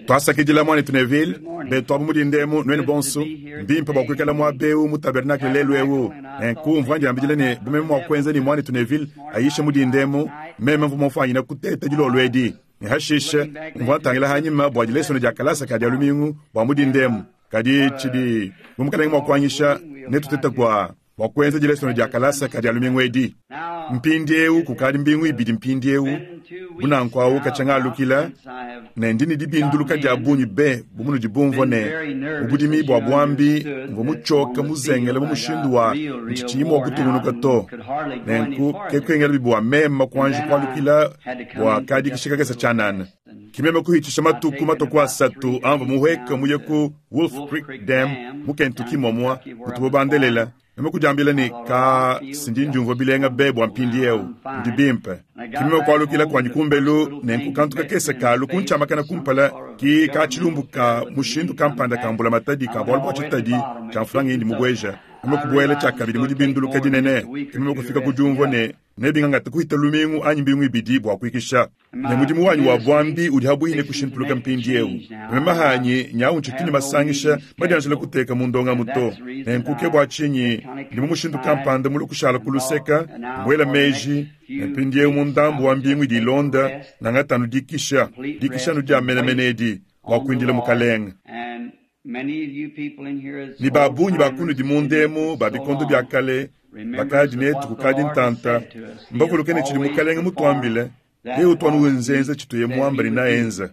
Twasakidila, Mwanetu Neville, beetu abu mu dinda emu, nwenu bonso. Mbimpe bwa kwikala mwaba ewu mu tabernacle leelu ewu. Nenku mvwa ndyambidila ne bu meme mwa kwenza ne Mwanetu Neville ayishe mu dinda emu, meme mvwa mufwanyine kuteeta diloolo edi. Ne hashishe mvwa ntangila hanyima bwa dilesona dya kalasa ka Dyalumingu bwa mu dinda emu. Kadi cidi, bu Mukalenge mwa kwanyisha, netutete bwa, bwa kwenza dilesona dya kalasa ka Dyalumingu edi. Mpindyewu kukadi mbingu ibidi mpindyewu, bu nanku awu kacya ngalukila, ne ndi ne dibinduluka dya bungi be, bu munudi bumvwa ne, mu budimi bwa bwambi mvwa mucyoke muzengele mu mushindu wa nciciyi mwa kutungunuka to. Nenku ke kwengelabi bwa meme kwanji kwalukila bwa kadikisha kakese cyanana. Ki meme kuhicisha matuku matwe ku asatu amvwa muhweke muye ku Wolf Creek Dam mu Kentucky mwamwa mutubo bandelela. Meme kudyambila ne, Kaa, si ndi ndyumvwa bilenga be bwa mpindyewu. Ndi bimpe. Ki meme kwalukila kwanyi kumbelu, nenku kantu kakese kaalu kuncyamakana kumpala, ki kaa cilumbu kaa mushindu kampanda ka mbulamatadi ka bwalu bwa citadi cya mfranga yindi mubweja. Meme kubwela cyakabidi mu dibinduluka dinene. Ki meme kufika ku dyumvwa ne nebingangate kuhita lumingu anyi mbingu ibidi bwa kwikisha. Ne mudimu wanyi wa bwambi udi habwihi ne kushintuluka mpindyewu. Meme hanyi nyawu ncitu ne masangisha madyanjila kuteka mu ndongamu to. Nenku ke bwa cinyi ndi mu mushindu kampanda mulue kushala ku luseka, mwela meji, ne mpindyewu mu ndambu wa mbingu idi ilonda, ngangata anu dikisha, dikisha anu dya menemene edi, bwa kwindila Mukalenge. Ne ba bungi ba kunudi munda emu ba bikondo bia kale bakadi netu kukadi ntanta, mbavuluke ne tshidi Mukalenge mutuambile, yeye utu anu wenzenza tshituye muambe ne naenza.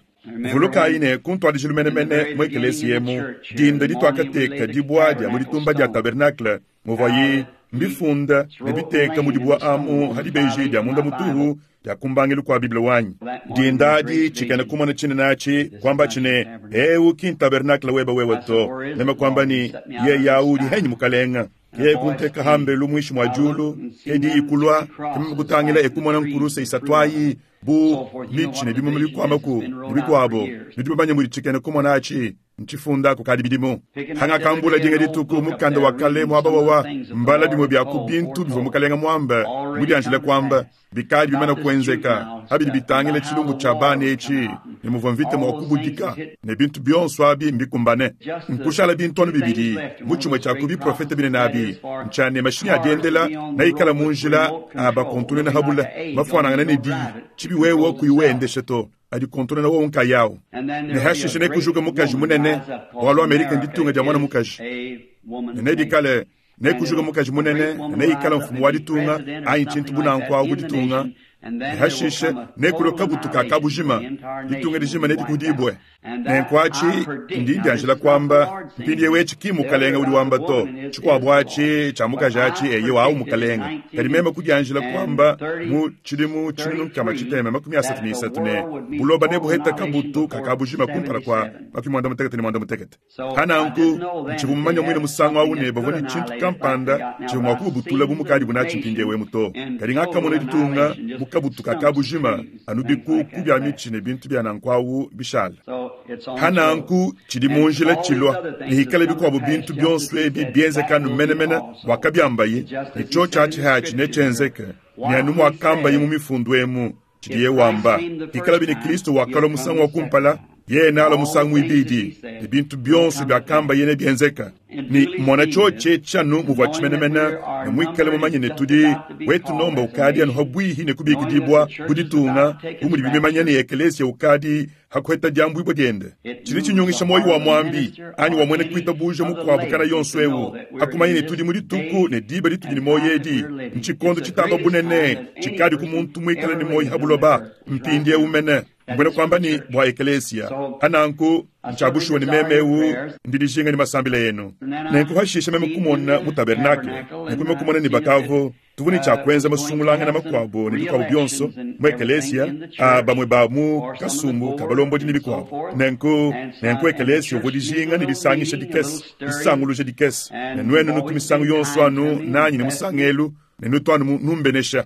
Vulukayi ne, ku ntuadijilu menemene mu ekeleziya emu, dinda dituakateka dibua dia mu ditumba dia tabernakle, muvuayi mbifunda ne biteka mu dibua amu ha dibeji dia munda mutuhu dia ku mbangilu kua Bible wanyi. Dinda adi, tshikena kumona tshinene atshi kuambatshi ne, Eu ki ntabernakle webe wewe to. Meme kuamba ne, Yeye au udi henyi, Mukalenga? Yeye kunteka hambelu muinshi mua diulu, ke diyi kulua, ke meme kutangila e kumona nkuruse isatu ayi bu mitshi ne bimuma bikuamaku ne bikuabo. Nudi bamanye mudi tshikena kumona atshi Ntshifunda kukadi bidimu. Hangakambula dinga dituku mukanda wa kale muaba wawa mbala bimue bia ku bintu bivua Mukalenga muambe mudianjile kuamba, bikadi bimane kuenzeka, pa bidi bitangila tshilumbu tshia bana etshi ne muvua mvita mua kubudika, ne bintu bionso abi mbikumbane. Nkushala bintu anu bibidi mu tshimue tshia ku biprofete binene abi, ntshia ne, mashinyi a diendela neikale mu njila a bakontonena ha bule, mafuanangane ne diyi, tshibi wewe kuyi uendesha to. adikontonona wowo nkayawu. Ne hashishe nekujuke mukaji munene, bualu Amerika nditunga dia mwana mukaji. Ne nedikale, nekujuke mukaji munene, ne neikale mfumu wa ditunga, anyi tshintu bu nanku awu ku ditunga. Ne hashishe nekulue kabutu ka kabujima, ditunga dijima nedikudibue. Nenku aci, ndi ndyanjila kwamba, mpindyewu eci ki Mukalenge udi wamba to, cikwabo aci, cya mukaji aci, eyo, awu Mukalenge. Kadi meme kudyanjila kwamba mu cidimu 633 ne, buloba nebuheta kabutu ka kabujima kumpala kwa 75. Pa nanku, ncivwa mumanye mwine musangu awu ne bavwa ne cintu kampanda civwa mwa kububutula bu mukaadibu naci mpindyewu emu to. Kadi ngakamona ditunga mu kabutu ka kabujima, anu bikuku bya mici ne bintu bya nanku awu bishala. Pa nanku, cidi mu njila cilwa, ne hikala bikwabo bintu byonso ebi byenzeka anu menemene mwakabyambaye, ne cyoci aci haci necyenzeke, ne anu mwakambaye mu Mifundu emu. Tshidiye wamba, Pikalabi ne Kristo wakalua musangu wa kumpala, yeye nealua musangu muibidi, ne bintu bionso biakambaye nebienzeka. Ne mona tshiotshi etshi anu muvuatshi menemene, ne muikale mumanye ne tudi wetu nomba ukadi anu habuihi ne kubikidibua bu ditunga, bu mudibi bimanya ne ekelesia ukadi ha kuheta diambuibua diende. Tshidi tshinyungisha muoyo wa muambi anyi wa muena kuitabuja mukuabu kana yonso eu, ha kumanya ne tudi mu dituku ne diba ditudi ne muoyo edi, ntshikondo tshitamba bunene tshikadi ku muntu muikale ne muoyo ha buloba mpindieu mene, mbuena kuamba ne bua ekelesia. Ha nanku, ntshia bushuwa ne meme eu ndi dijinga ne masambila enu. Nenku hashisha meme kumona mu tabernakle, nenku meme kumona ne bakavu Tuvua ne tshia kuenza masungulangana makuabo ne bikuabo bionso mu ekelesia, a bamue ba mu kasumbu ka balombodi ne bikuabo. Nenku, nenku ekelesia uvua dijinga ne disangisha dikese, disanguluja dikese. Ne nuenu nutu misangu yonso anu nanyi ne musangelu, ne nutu anu numbenesha.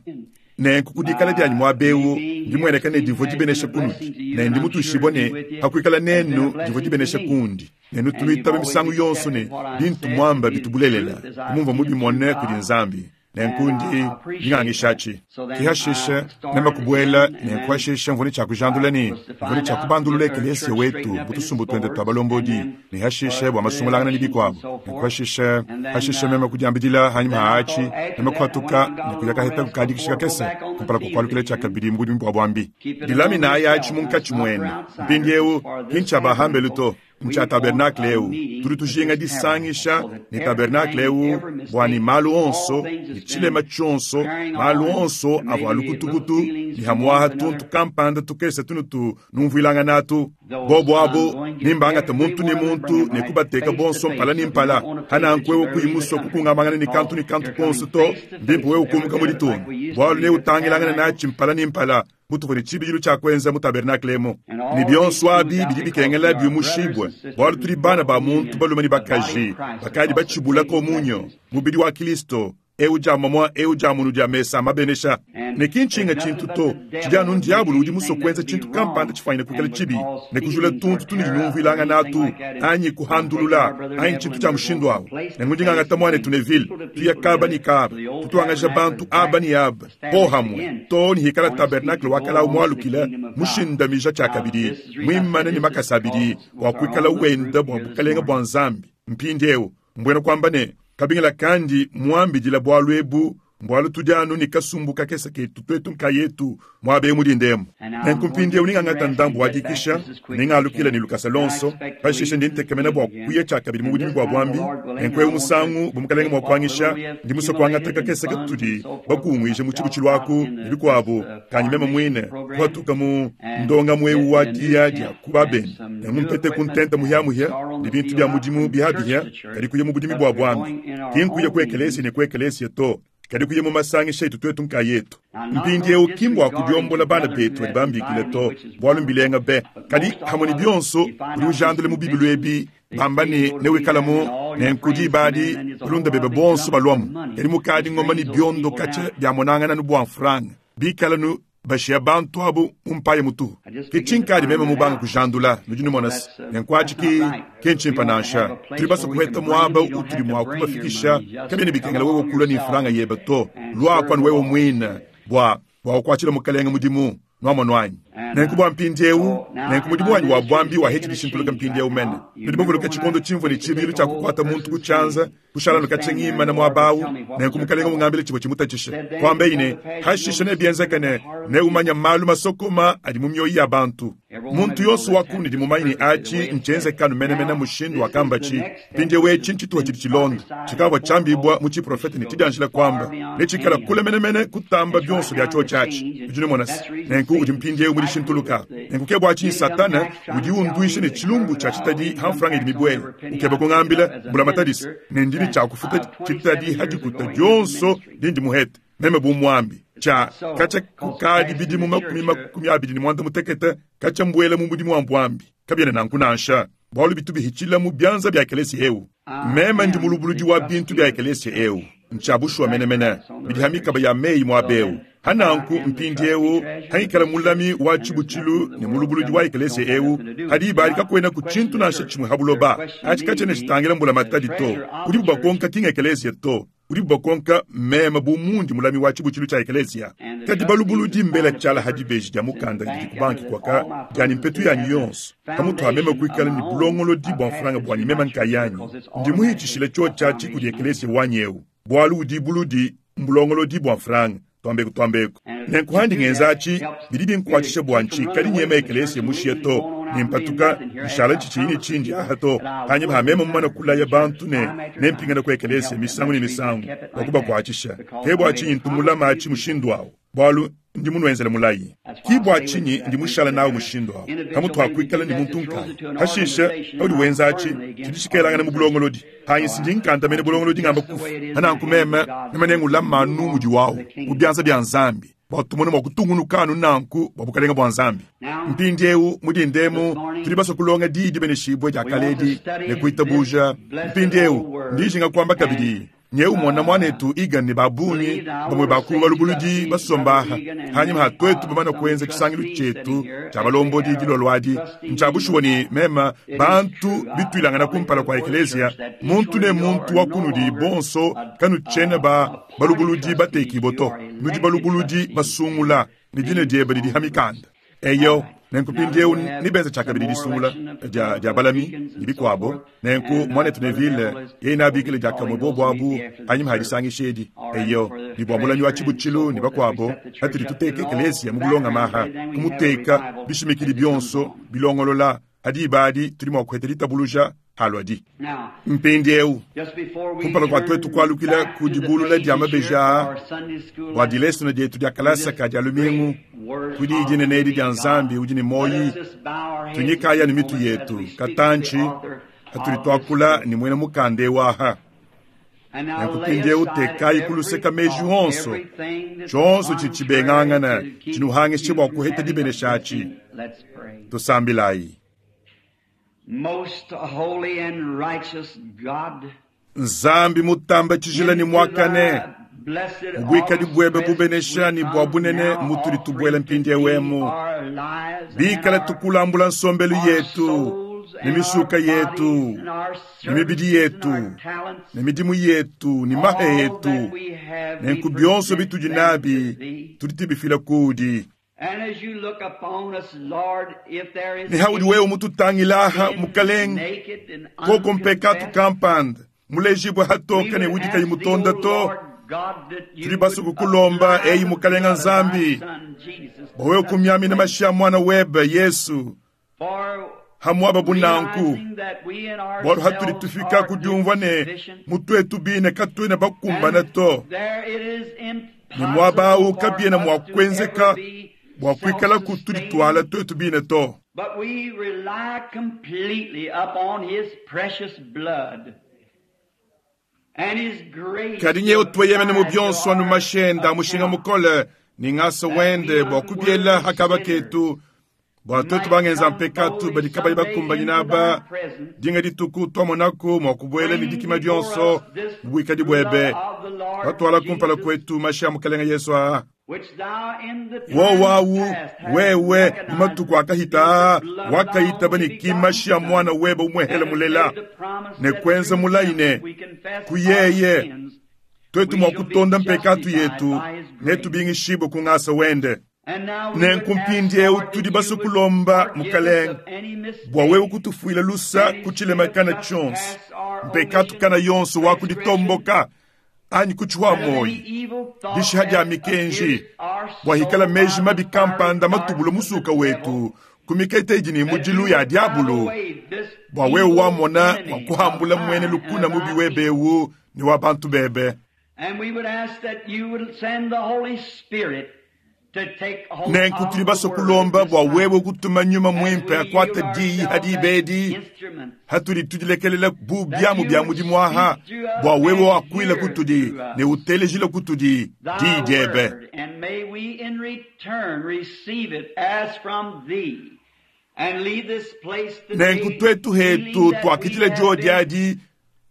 Nenku ku dikala dianyi muaba eu, mbimueneka ne divua dibenesha kunudi, ne ndi mutuishibue ne, pa kuikala nenu divua dibenesha kundi. Ne nutu nuitaba misangu yonso ne, bintu muamba bitu bulelela, bu mumvua mubimone kudi Nzambi. Nenku ndi ngangishatshi. Ke hashishe meme kubuela, nenku hashishe mvua ne tshia kujandula ne mvua ne tshia kubandulula ekeleesiya wetu mu tusumbu tuende tua balombodi, ne hashishe bua masungulangana ne bikuabu. Nenku hashishe, hashishe meme kudiambidila hanyima ha atshi, meme kuhatuka ne kuya kaheta kukadikisha kakese kumpala kua kualukila tshiakabidi mu budimu bua buambi. Dilaminayi atshi munkatshi muenu. Mpindieu ki ntshia ba hambelu to. Ntshia tabernakle eu. Tudi tujinga disangisha ne tabernakle eu bua ne malu onso ne tshilema tshionso, malu onso avua lukutukutu ne hamuaha tuntu kampanda tukese tunutu numvuilangana atu. Bobu abu nimbangate muntu ne muntu ne kubateka bonso mpala ne mpala. Hananku wewe kuyi musue kukungamangana ne kantu ne kantu konso to, mbimpe wewe kumuka mu ditunga, bualu neutangilangane natshi mpala ne mpala. Mutuvua ne tshibidilu tshia kuenza mu tabernakle emu, ne bionso abi bidi bikengela biumushibue, bualu tudi bana ba muntu balume ne bakaji bakadi batshibula komunyo, mubidi wa Kilisto, eu dia mamua, eu dia munu dia mesa mabenesha. Ne ki ntshinga tshintu to, tshidi anu ndiabulu udi musue kuenza tshintu kampanda tshifuanyine kuikala tshibi, ne kujula tuntu tunudi numvuilangana atu, anyi kuhandulula, anyi tshintu tshia mushindu awu. Nenku ndi ngangata muanetu Neville, tuya kaba ne kaba, tutuangaja bantu aba ne aba pohamue, too ne hikala tabernakle wa kale awu mualukile, mushindamija tshiakabidi, muimane ne makasa abidi, bua kuikala wenda bua bukalenge bua Nzambi. Mpindieu, mbuena kuamba ne, kabingila kandi muambidila bualu ebu mbualu tudi anu ne kasumbu kakese ketu tuetu nkayetu muaba eu mu dinda emu. Nenku mpindieu ningangata ndambu wa dikisha, ningalukila ne lukasa luonso, pashishe ndi ntekemena bua kuya tshiakabidi mu budimi bua buambi. Nenku eu musangu, bu Mukalenge mua kuanyisha, ndi musue kuangata kakese katudi bakunguije mu tshibutshilu aku ne bikuabu, kanyi meme muine kuhatuka mu ndongamu eu wa diya dia ku babende, nenku mpete ku ntenta muhiamuhia ne bintu bia mudimu bihabihia, kadi kuya mu budimi bua buambi, ki nkuya ku ekelesia ne ku ekelesia to, kadi kuya mu masangisha etu tuetu nkayetu. Mpindieu ki mbua kudiombola bana betu badi bambikile to, bualu mbilenga be. Kadi hamue ne bionso, udi ujandula mu bibilu ebi bamba ne newikalamu, nenku diba adi balunda bebe bonso baluamu. Kadi mukadi ngoma ne biondo katshia biamonangana nu bua mfranga, bikala nu bashiya bantu abu mu mpaya mutuhu. Ke tshinkadi meme mubanga kujandula, nudi numona se, nenku atshi ki ki ntshimpe nansha. Tudi basue kuheta muaba utudi mua kubafikisha, kabiena bikengela wewe kulua ne mfranga yebe to, luaku anu wewe muine bua bua kukuatshila Mukalenge mudimu. Nuamonu anyi? Nenku bua mpindieu, nenku mudimu wanyi wa buambi waheti dishintuluka mpindieu mene. Nudi bavuluke tshikondo tshimvua ne tshibidilu tshia kukuata muntu ku tshianza, kushala nu katshia ngimana muaba au, nenku Mukalenge mungambile tshivua tshimutatshishe. Kuambeyi ne, hashishe nebienzeke ne neumanye malu masokoma adi mu mioyo ya bantu. Muntu yonso wa kunudi mumanye ne atshi ntshienzekanu menemene mushindu wakambatshi. Mpindieu etshi ntshituha tshidi tshilonda, tshikavua tshiambibua mu tshiprofete ne tshidianjila kuamba, netshikala kule menemene kutamba bionso bia tshiotshi atshi. Nudi numona se, nenku udi mpindieu mu dishintuluka. Nenku ke bua tshinyi Satana udi unduisha ne tshilumbu tshia tshitadi ha mfranga idi mibuele, ukeba kungambila mbulamatadi se, ne ndi ne tshia kufuta tshitadi ha dikuta dionso dindi muhete meme bu muambi. Tshia katshia kukadi bidimu 25 katshia mbuela mu mudimu wa buambi. Kabiena nanku nansha, bualu bitu bihitshila mu bianza bia ekelesia eu. Meme ndi mulubuludi wa bintu bia ekelesia eu. Ntshia bushuwa menemene, bidi ha mikaba ya meyi muaba eu. Hananku mpindieu hangikala mulami wa tshibutshilu ne mulubuludi wa ekelesia eu, ha diba adi kakuenaku tshintu nansha tshimue ha buloba atshi katshiena tshitangila mbulamatadi to. Udibu bakonka ki ngekelesia to, udibu bakonka meme bu mundi mulami wa tshibutshilu tshia ekelesia. Kadi balubuludi mbela tshiala ha dibeji dia mukanda didi ku banki kuaka dianyi mpetu yanyi yonso, pamutu ha meme kuikala ne bulongolodi bua mfranga buanyi meme nkayanyi, ndi muhitshishile tshiotshi atshi kudi ekelesia wanyi eu, bualu udi buludi mbulongolodi bua mfranga. Tuambeku tuambeku. Nenku handi ngenza atshi, bidi binkuatshisha bua ntshikadi nyema ekelesia mushiya to, ne mpatuka nshala tshitshiyi ne tshindi aha to, hanyima ha meme mumane kulaya bantu ne nempingane ku ekelesia misangu ne misangu bua kubakuatshisha. Ke bua tshinyi ntu mulama atshi mushindu awu, bualu ndi munuenzele mulayi. Ki bua tshinyi ndi mushala nawu mushindu awu, pamutu ha kuikala ne muntu nkaya. Hashishe paudi wenza atshi, tshidi tshikelangana mu bulongolodi. Hanyi si ndi nkandamena bulongolodi ngamba kufa. Hananku meme meme nengulama anu mudi wawu mu bianza bia Nzambi, bua tumone mua kutungunuka anu nanku bua bukalenge bua Nzambi. Mpindieu mu dinda emu tudi basue kulonga diyi dibeneshibue dia kale edi ne kuitabuja. Mpindieu ndi njinga kuamba kabidi. Nyewu mona muanetu Egan ne ba bungi bamue ba ku balubuludi basomba aha, hanyima ha tuetu bamane kuenza tshisangilu tshietu tshia balombodi dilolo adi. Ntshia bushuwa ne mema bantu bituilangana kumpala kua ekeleziya, muntu ne muntu wa kunudi bonso kanutshiena ba balubuludi batekibue to, nudi balubuludi basungula, ne dina diebe didi ha mikanda. Eyo, nenku mpindiewu nebenze tshiakabidi disungula dia, dia balami ne bikuabo. Nenku muanetu Neville yeye neabikile diakamue bobo abu panyima ha disangisha edi. Eyo, ne bua mulami wa tshibutshilu ne bakuabo, patudi tuteka ekeleziya mu bulongame aha, kumuteka bishimikidi bionso bilongolola, ha diba adi tudi mua kuheta ditabuluja haluadi. Mpindiewu, kumpala kua tuetu kualukila ku dibulula dia mabeji aa bua dilesona dietu dia kalasa ka dia lumingu ku Diyi dinene edi dia Nzambi udi ne muoyi, tunyikayi anu mitu yetu katantshi patudi tuakula ne muena mukanda eu aha. Nenku mpindiewu tekayi ku luseka meji onso, tshionso tshidi tshibengangana tshinuhangishe bua kuheta dibenesha atshi. Tusambilayi. Most holy and righteous God, Nzambi mutamba tshijila ne muakane, mu buikadi buebe bubenesha ne bua bunene mutudi tubuela mpindieu emu, bikala tukulambula nsombelu yetu ne misuka yetu ne mibidi yetu ne midimu yetu ne mahe etu, nenku bionso bitudi nabi tudi tubifila kudi. Ne haudi wewe mututangila aha, Mukalenge, koko mpekatu kampanda mulejibue hatoke ne udi kayi mutonda to, tudi basue kukulomba, eyi Mukalenga Nzambi, bua wewe kumiamina mashi a Muana webe Yesu ha muaba bu nanku, bualu hatudi tufika ku diumvua ne mu tuetu bine katuena bakumbana to, ne muaba au kabiena mua kuenzeka bua kuikalaku tudituala tuetu bine to. But we rely completely upon His precious blood and His grace Kadi nyewe tueyemene mu bionso anu mashi ende a mushinga mukole ne ngasa wende bua kubiela ha kaba ketu, bua tuetu bangenza mpekatu badi kabayi bakumbanyine aba, dinga dituku tuamonaku mua kubuela ne dikima dionso mu buikadi buebe, batuala kumpala kuetu mashi a Mukalenge Yesu aa. Wowo awu, wewe mu matuku akahita aa wakayitaba ne ki mashi a Muana webe umuehele mulela, ne kuenza mulayi ne, ku yeye tuetu mua kutonda mpekatu yetu, netubingishibue ku ngasa wende. Nenku mpindieu tudi basue kulomba, Mukalenge, bua wewe kutufuila lusa ku tshilema kana tshionso, mpekatu kana yonso wa kuditomboka anyi kutshihua muoyi, dishiha dia mikenji, bua hikala meji mabi kampanda matubula musuka wetu ku mikete idi ne mudilu ya diabulu, bua wewe wamona mua kuhambula muene lukuna mubi webe eu ne wa bantu bebe. And we would ask that you would send the Holy Spirit to take hold Nenku of tudi the basue word kulomba at this bua time. wewe kutuma Nyuma As Muimpe we akuate yield diyi ourselves ha diba as edi, instruments, hatudi tudilekelela bu that biamu you bia would mudimu aha, speak through us bua wewe and wakuila hear kutudi through us ne utelejile kutudi thy diyi diebe. word, and may we in return receive it as from thee, and leave this place Nenku today tuetu feeling hetu that we tuakidila have diodi been adi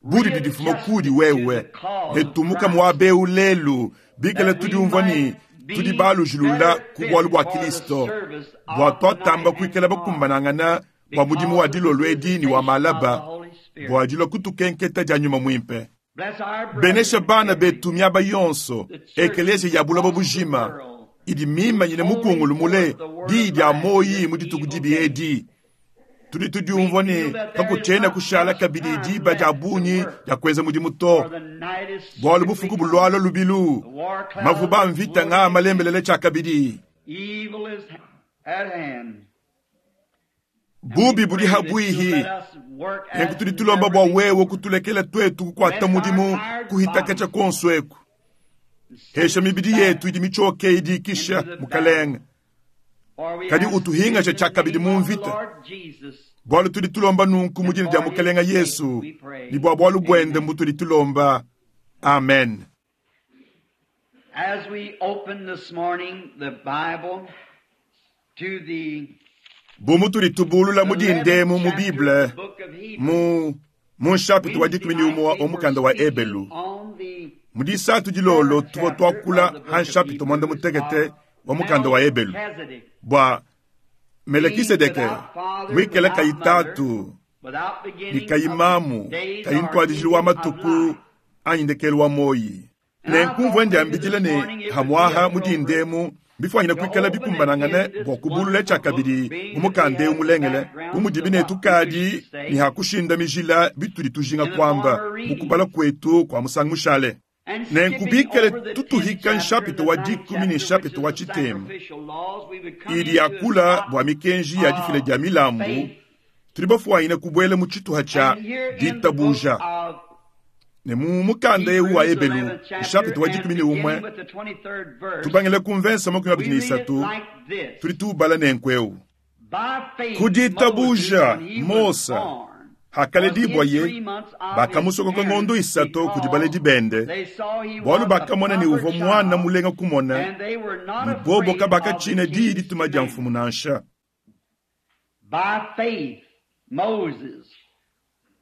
budi didifuma kudi readjusted to wewe, the cause ne of tumuka Christ, muaba eu lelu bikala that we tudiumvua ne might tudi be balujilula better ku bualu fitted bua for the Kilisto, service bua of tuatamba tonight and kuikala tomorrow bakumbanangana bua mudimu because wa of the dilolo edi ne wa visitation of the malaba, Holy Spirit. bua dilua kutukenketa dia Nyuma Muimpe. Bless our Benesha brethren bana every betu miaba yonso, the churches ekeleziya ya buloba across the bujima world, idi who's mimanyine holding mukungulu mule forth the word diyi of dia life in muoyi this mu dituku evil dibi day. edi. Tudi We tudiumvua feel ne that there is kakutshiena not kushala much kabidi time diba dia left to bungi work, dia kuenza mudimu to, for the night is bualu swiftly bufuku coming. bulualua lubilu, The war clouds mavuba a are mvita floating nga again. malembelele tshiakabidi. Evil is at hand. And we Bubi budi pray that you'll habuihi. let us work Nenku as tudi tulomba never bua wewe before. kutulekela tuetu kukuata Bless our mudimu tired kuhitakacha bodies kuonso eku. and send Hesha us mibidi back yetu idi mitshioke idi ikisha, into the battle. Mukalenge. For we Kadi ask utuhingasha in the tshiakabidi name mu of the mvita. Lord Jesus Bualu tudi tulomba nunku mu and dina dia for his Mukalenge sake Yesu, we pray. ne bua bualu buende Amen. mbutudi tulomba. Amen. As we open this morning the Bible to the Bu mutudi tubulula mu 11th dindemu mu chapter of Bible the book of Hebrews, mu Mu nshapita wa 11 wa mukanda wa Ebelu, mu disatu dilolo tuvua tuakula ha nshapita 16 wa mukanda wa Ebelu bua Melekisedeke muikale kayi tatu ne kayi mamu, kayi ntuadijilu wa matuku anyi ndekelu wa moyi. Nenku mvua ndiambidila ne hamwaha mu dindemu bifwanyine kuikala bikumbanangane bua kubulula tshiakabidi mu mukanda eu mulengele, bu mudibi ne tukadi ne hakushinda mijila bitudi tujinga kuamba mu kubala kwetu kwa musangu mushale. Nenku bikale tutuhika nshapita wa 10 ne nshapita wa 9 idi yakula bua mikenji ya difila dia milambu, tudi bafwanyine kubwela mu tshituha tshia ditabuja. Ne mu mukanda eu wa Ebelu nshapita wa 11 tubangile ku mvensa 23 tudi tubala nenku eu. Ku ditabuja Mosa hakaledibwa ye bakamusokoka ngondo 3 kudi baledi bende, bualu bakamona ne uvua mwana mulenga kumona, ne bobo kabakatshina diyi dituma dia mfumu nansha. By faith Moses,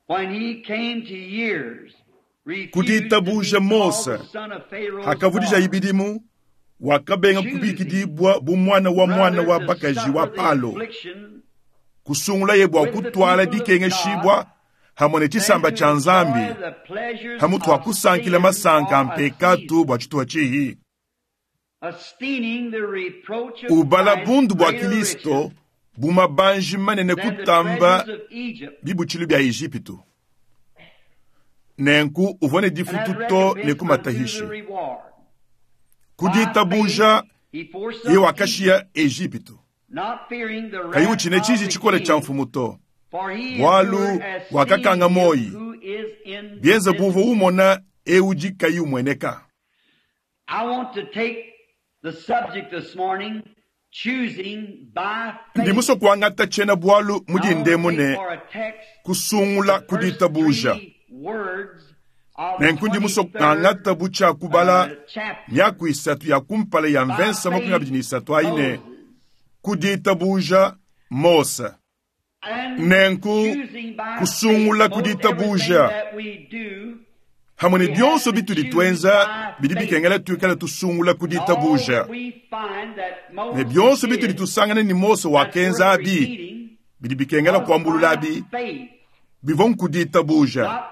when he came to years, Ku ditabuja Mose hakavudija ibidimu, wakabenga kubikidibwa bu mwana wa mwana wa bakaji wa Palo, kusungulaye bua kutwala dikengeshibwa hamwe ne tshisamba tshia Nzambi, hamutu wa kusankila masanka a mpekatu bua tshituha tshihi. Ubala bundu bua Kristo bu mabanji manene kutamba bibutshilu bia Ejipitu. Nenku uvua ne difutu to ne kumatahishi. Ku ditabuja ye wakashiya Ejipitu, kayi utshina tshiji tshikole tshia mfumu to, bualu wakakanga moyi bienza buvua umona eu udi kayi umueneka. Ndi musue kuangata tshiena bualu mu dindemu ne kusungula ku ditabuja. Nenku ndi musue kuangata bu tshia kubala miaku 3 ya kumpala ya mvensa 23 ayi ne ku ditabuja Mose. Nenku kusungula ku ditabuja hamwe ne bionso bitudi tuenza bidi bikengela tuikale tusungula ku ditabuja. Ne bionso bitudi tusangana ni Mose wakenza abi bidi bikengela kuambulula abi bivua ku ditabuja,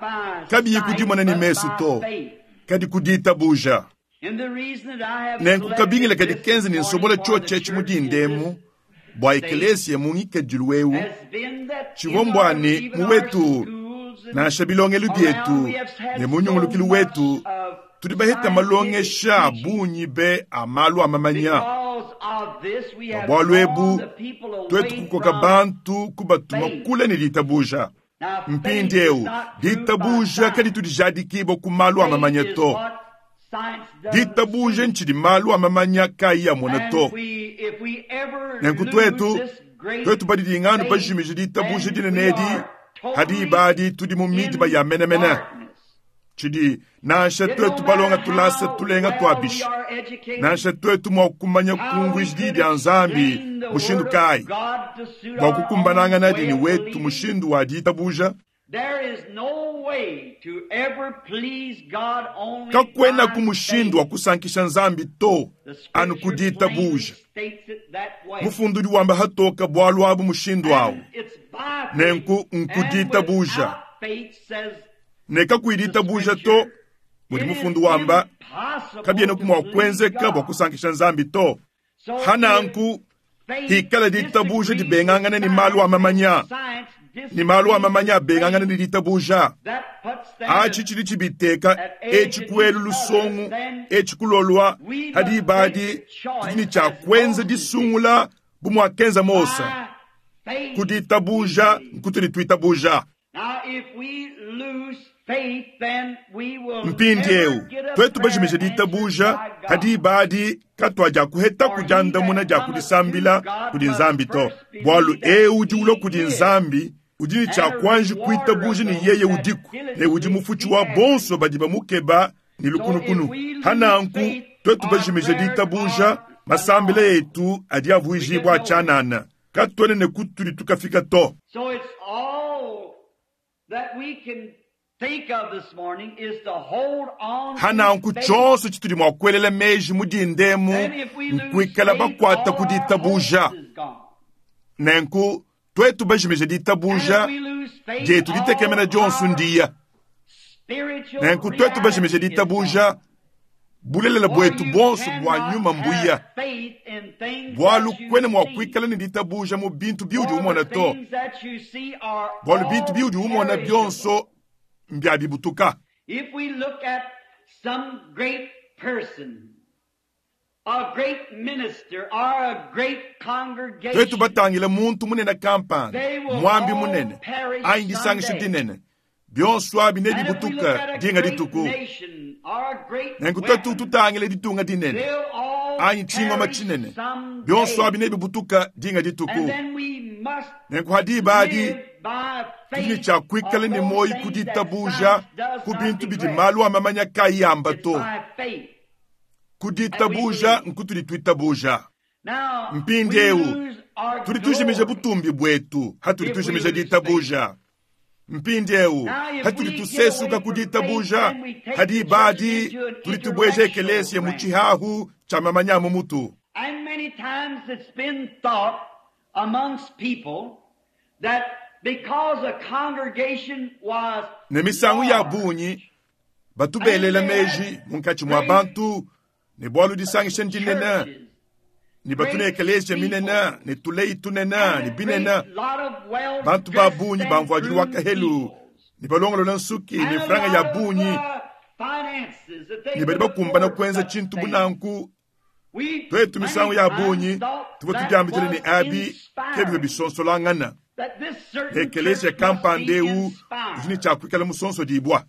kabiyi kudimona ne mesu to, kadi ku ditabuja. Nenku kabingila kadi kenza ne nsobola tshiotshi mu dindemu bua ekelesia mu ngikadilu eu tshivua mbua ne mu wetu nansha bilongelu bietu ne mu nyungulukilu wetu tudi baheta malongesha a bungi be a malu a mamanya. Bua bualu ebu tuetu kukoka bantu kubatuma kule ne ditabuja. Mpindi eu ditabuja kadi tudijadikibwa ku malu a mamanya to. Ditabuja ntshidi malu a mamanya kayi amona to. Nenku tuetu badidinganu bajimije ditabuja dinene edi hadi ibadi tudi mu midima ya menemene. Tshidi nansha tuetu balonga tulasa tulenga tuabisha, nansha tuetu mua kumanya kumvuija diyi dia Nzambi mushindu kayi bua kukumbanangana dini wetu mushindu wa ditabuja. Kakwena ku mushindu wa kusankisha Nzambi to anu ku ditabuja. Mufundu udi wamba hatoka bualu abu mushindu awu. Nenku nku ditabuja. Ne kakuyi ditabuja to mudi mufundu wamba kabiena ku mua kuenzeka bua kusankisha Nzambi to. Hananku hikala ditabuja dibengangana ni malu a mamanya, ni malu a mamanya abengangana ni ditabuja. Achi tshidi tshibiteka etshi kuelu lusongu etshi kulolwa hadi ibadi tudi ne tshia kuenza disungula bu muakenza Mose. Ku ditabuja nkutudi tuitabuja. Mpindi eu tuetu bajimije ditabuja hadi ibadi katwa kuheta kudiandamuna dia kudisambila kudi Nzambi to, bualu eu udi ulua kudi Nzambi udi ne tshia kuanji kuitabuja ne yeye udiku ne udi mufutshi wa bonso badi bamukeba ne lukunukunu. Hananku tuetu bajimije ditabuja masambila etu adi avuijibua tshianana, katuena ne kutudi tukafika to. Pa nanku tshionso tshitudi mua kuelela meji mu dinda emu nkuikala bakuata ku ditabuja. Nenku tuetu bajimije ditabuja dietu, ditekemena dionso ndiya. Nenku tuetu bajimije ditabuja, bulelela buetu buonso bua nyuma mbuya. Bualu kuena mua kuikala ne ditabuja mu bintu biudi umona to, bualu bintu biudi umona bionso mbia bibutuka. Tuetu batangile muntu munene kampanda, muambi munene, anyi disangisha dinene, bionso abi nebibutuke dinga dituku. Nenku tuetu tutangile ditunga dinene anyi tshingoma tshinene, bionso abi nebibutuke dinga dituku. Nenku ha diba adi tudi ne tshia kuikala ne muoyo ku ditabuja ku bintu bidi malu a mamanya kayi amba to. Ku ditabuja nkutudi tuitabuja. Mpindieu tudi tujimija butumbi buetu hatudi tujimija ditabuja. Mpindieu hatudi tusesuka ku ditabuja, ha diba adi tudi tubueja ekelesia mu tshihahu tshia mamanya a mu mutu. Ne misangu ya bungi batu belela meji munkatshi mua bantu ne bualu disangisha ndinene ne batu ne ekelesia minene ne tuleyi tunene ne binene, bantu ba bungi ba mvuadilu wa kahelu ne balongolola nsuki ne franga ya bungi ne badi bakumbana kuenza tshintu bu nanku. Tuetu misangu ya bungi tuvua tudiambidila ne abi ke bivua bisonsolangana. Ekelesia kampanda eu udi ne tshia kuikala musonsodibua.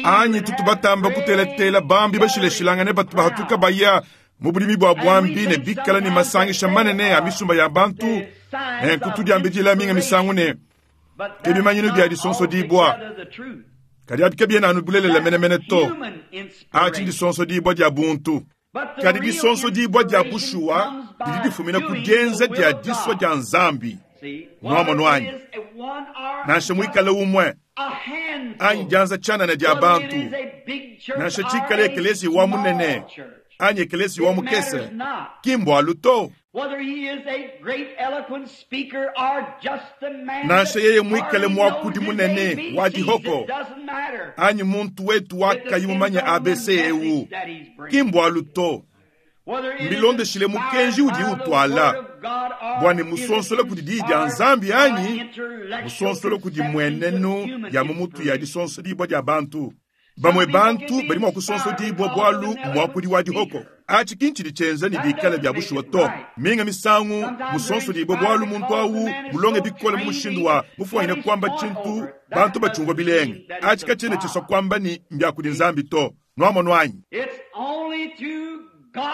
Anyi tutu batamba kutelatela bambi bashilashilangane batu bahatuka baya mu budimi bua buambi ne bikala ne masangisha manene a misumba ya bantu, nenku tudiambidila minga misangu ne ke bimanyinu bia disonsodibua. Kadi abi kabiena anu bulelela menemene to. Atshi ndisonsodibua dia buntu. Kadi disonsodibua dia bushuwa didi difumina ku dienza dia disua dia Nzambi. Nuamonu anyi? Nansha muikale umue anyi dianza tshianana dia bantu, nansha tshikale ekeleziya wa munene anyi ekeleziya wa mukese, ki mbualu to. Nansha yeye muikale muakudi munene wa dihoko anyi muntu wetu wa kayi mumanye ABC eu, ki mbualu to. Mbilondeshile mukenji udi utuala bua ne musonsola kudi diyi dia Nzambi anyi musonsola kudi mmuenenu ya mu mutu ya disonsodibua dia bantu. Bamue bantu badi mua kusonsodibua bualu mmuakudi wa dihoko. Atshi ki ntshidi tshienza ne bikale bia bushuwa to. Minga misangu musonsodibue bualu muntu au mulonge bikole mu mushindu wa mufuanyine kuamba tshintu bantu batshiumvua bilenga. Atshi katshiena tshisua kuamba ne, mbia kudi Nzambi to. Nuamonu anyi?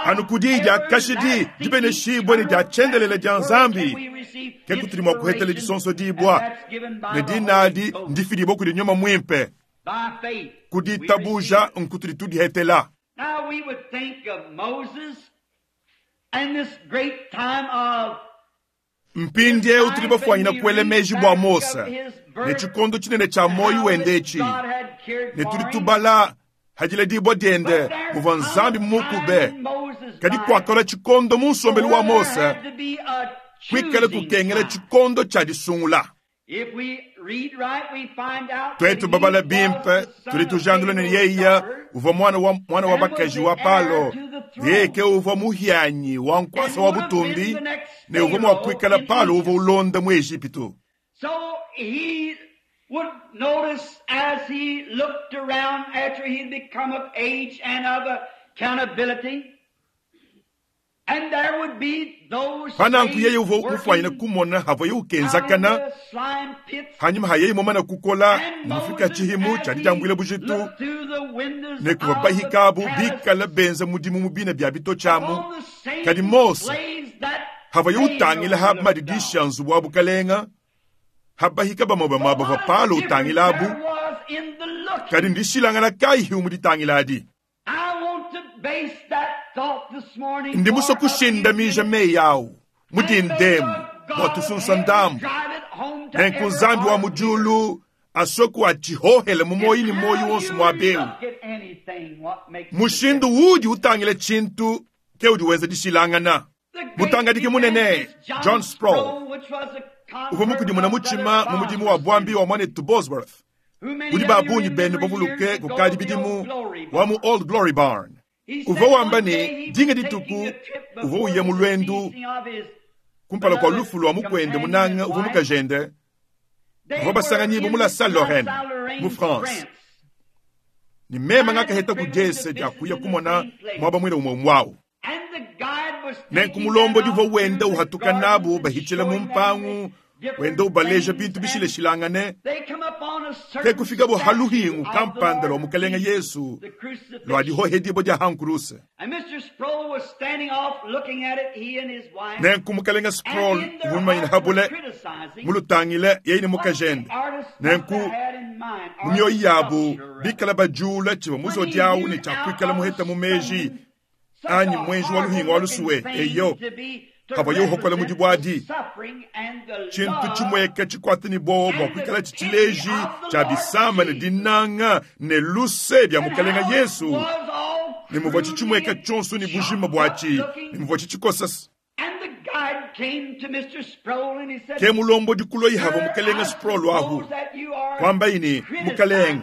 Anu ku diyi dia kashidi dibeneshibue ne dia tshiendelele dia Nzambi ke kutudi mua kuhetela disonsodibua, ne dina adi ndifidibue kudi Nyuma Muimpe. Ku ditabuja nkutudi tudihetela. Mpindieu tudi bafuanyina kuela meji bua Mose ne tshikondo tshinene tshia muoyo wende etshi, ne tudi tubala ha diledibua diende muvua Nzambi mumukube. Kadi kuakalua tshikondo mu nsombelu wa Mose kuikale kukengela tshikondo tshia disungula. Tuetu babala bimpe, tudi tujandula ne yeye uvua muana wa muana wa bakaji wa Palo, yeye ke uvua muhianyi wa nkuasa wa butumbi ne uvua mua kuikala Palo uvua ulonda mu Ejipitu. Would notice as he looked around after he'd become of age and of accountability. Pa nanku yeye uvua mufuanyine kumona havuaye ukenzakana hanyima ha yeye mumane kukola ne mufika tshihimu tshia didiambuila bujitu, ne kuvua bahika abu bikale benza mudimu mu bina bia bitotshi amu. Kadi Mose havuaye utangila ha madidishi a nzubu wa bukalenga, ha bahika bamue bamue bavua Palo utangila abu, kadi ndishilangana kayi mu ditangila adi? Ndi musue kushindamija meyi au mu dinda emu. Bua tusunsa ndambu. Nenku Nzambi wa mu diulu aswe atshihohele mu muoyo ne muoyo wonso muaba eu. Mushindu udi utangila tshintu ke udi wenza dishilangana. Mutangadiki munene John Sproul uvua mukudimuna mutshima mu mudimu wa buambi wa muanetu Bosworth, udi ba bungi benu bavuluke kukadi bidimu, wa mu Old Glory Barn. Uvua wamba ne, dinga dituku uvua uya mu luendu kumpala kua lufu lua mukuende munanga uvua mukajende, bavua basanganyibua mu La Salle Lorraine mu France, ne meme ngakaheta ku diese dia kuya kumona muaba muine umue umue. Nenku mulombodi uvua wenda uhatuka nabu bahitshila mu mpangu, wenda ubaleja bintu bishilashilangane, ke kufikabo ha luhingu kampanda lua Mukelenge Yesu lua dihohedibua dia hankuruse. Nenku Mukelenge Sproul uvua mumanyine habule mulutangile yeye ne mukajende. Nenku mu mioyo yabu bikala bajula tshivua muzodi awu ne tshiakuikala muheta mu meji anyi mwenji wa luhingu wa lusuwe eyo kavua uhokola mu dibuadi. Tshintu tshimueka tshikwata ne bowa bua kuikala tshitshileji tshia bisamba ne dinanga ne luse bia Mukelenge Yesu, ne muvua tshitshimueka tshionso ne bujima buatshi, ne muvua tshitshikosa. Ke mulombodi kuloyi hava Mukelenge Sproul ahu kwambayi ne, Mukelenge,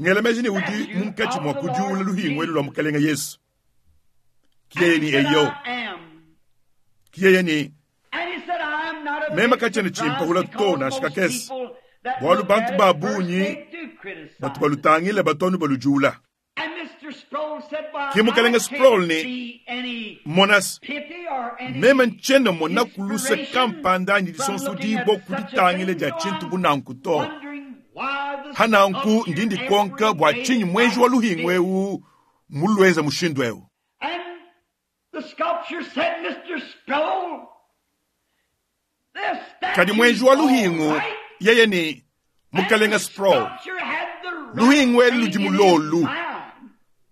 ngela meji ne udi munkatshi mua kudiula luhingu elu lua Mukelenge Yesu. Kiyeye ni eyo. Kiyeye ni mema kachene chimpahula to na shikakesi. Bwalu bantu ba bunyi batu balutangile batonu balujula. Ki Mukelenge Sproul ni monas mema nchena mona kuluse kampanda anyi disonso dibo kuditangile dia tshintu bunanku to. Hananku ndindi konka bua tshinyi mwenji wa luhingu eu mulweza mushindu eu. Kadi mwenji wa luhingu yeye ni Mukelenge Sproul. Luhingu elu ludi mulolu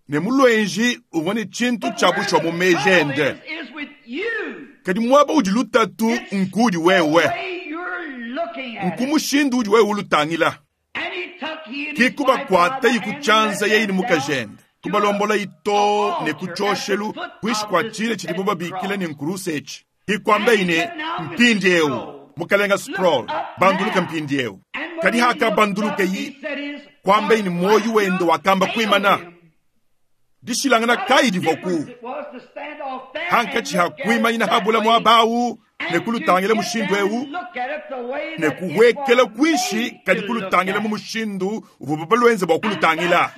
ne mulwenji uvua ne tshintu tshia bushwa mu mejende. Kadi muaba udi lutatu nkudi wewe, nkumushindu udi wewe ulutangila. Kikubakwata ikuchanza yeye ni mukajende kubalombola ito ne kuchoshelu kuishi kwa chile tshidibo babikila ne nkuruse etshi. Kikwamba ine mpindi eu Mukelenge Sproul banduluka mpindi eu. Kadi haka banduluka yi kwamba ine moyo wendo wakamba kuimana. Dishilangana kai divoku. Hankachi hakuima ina habula mwabawu ne kulutangila mushindu eu ne kuwekela kuishi kadi kulutangila mu mushindu uvua balwenze bua kulutangila.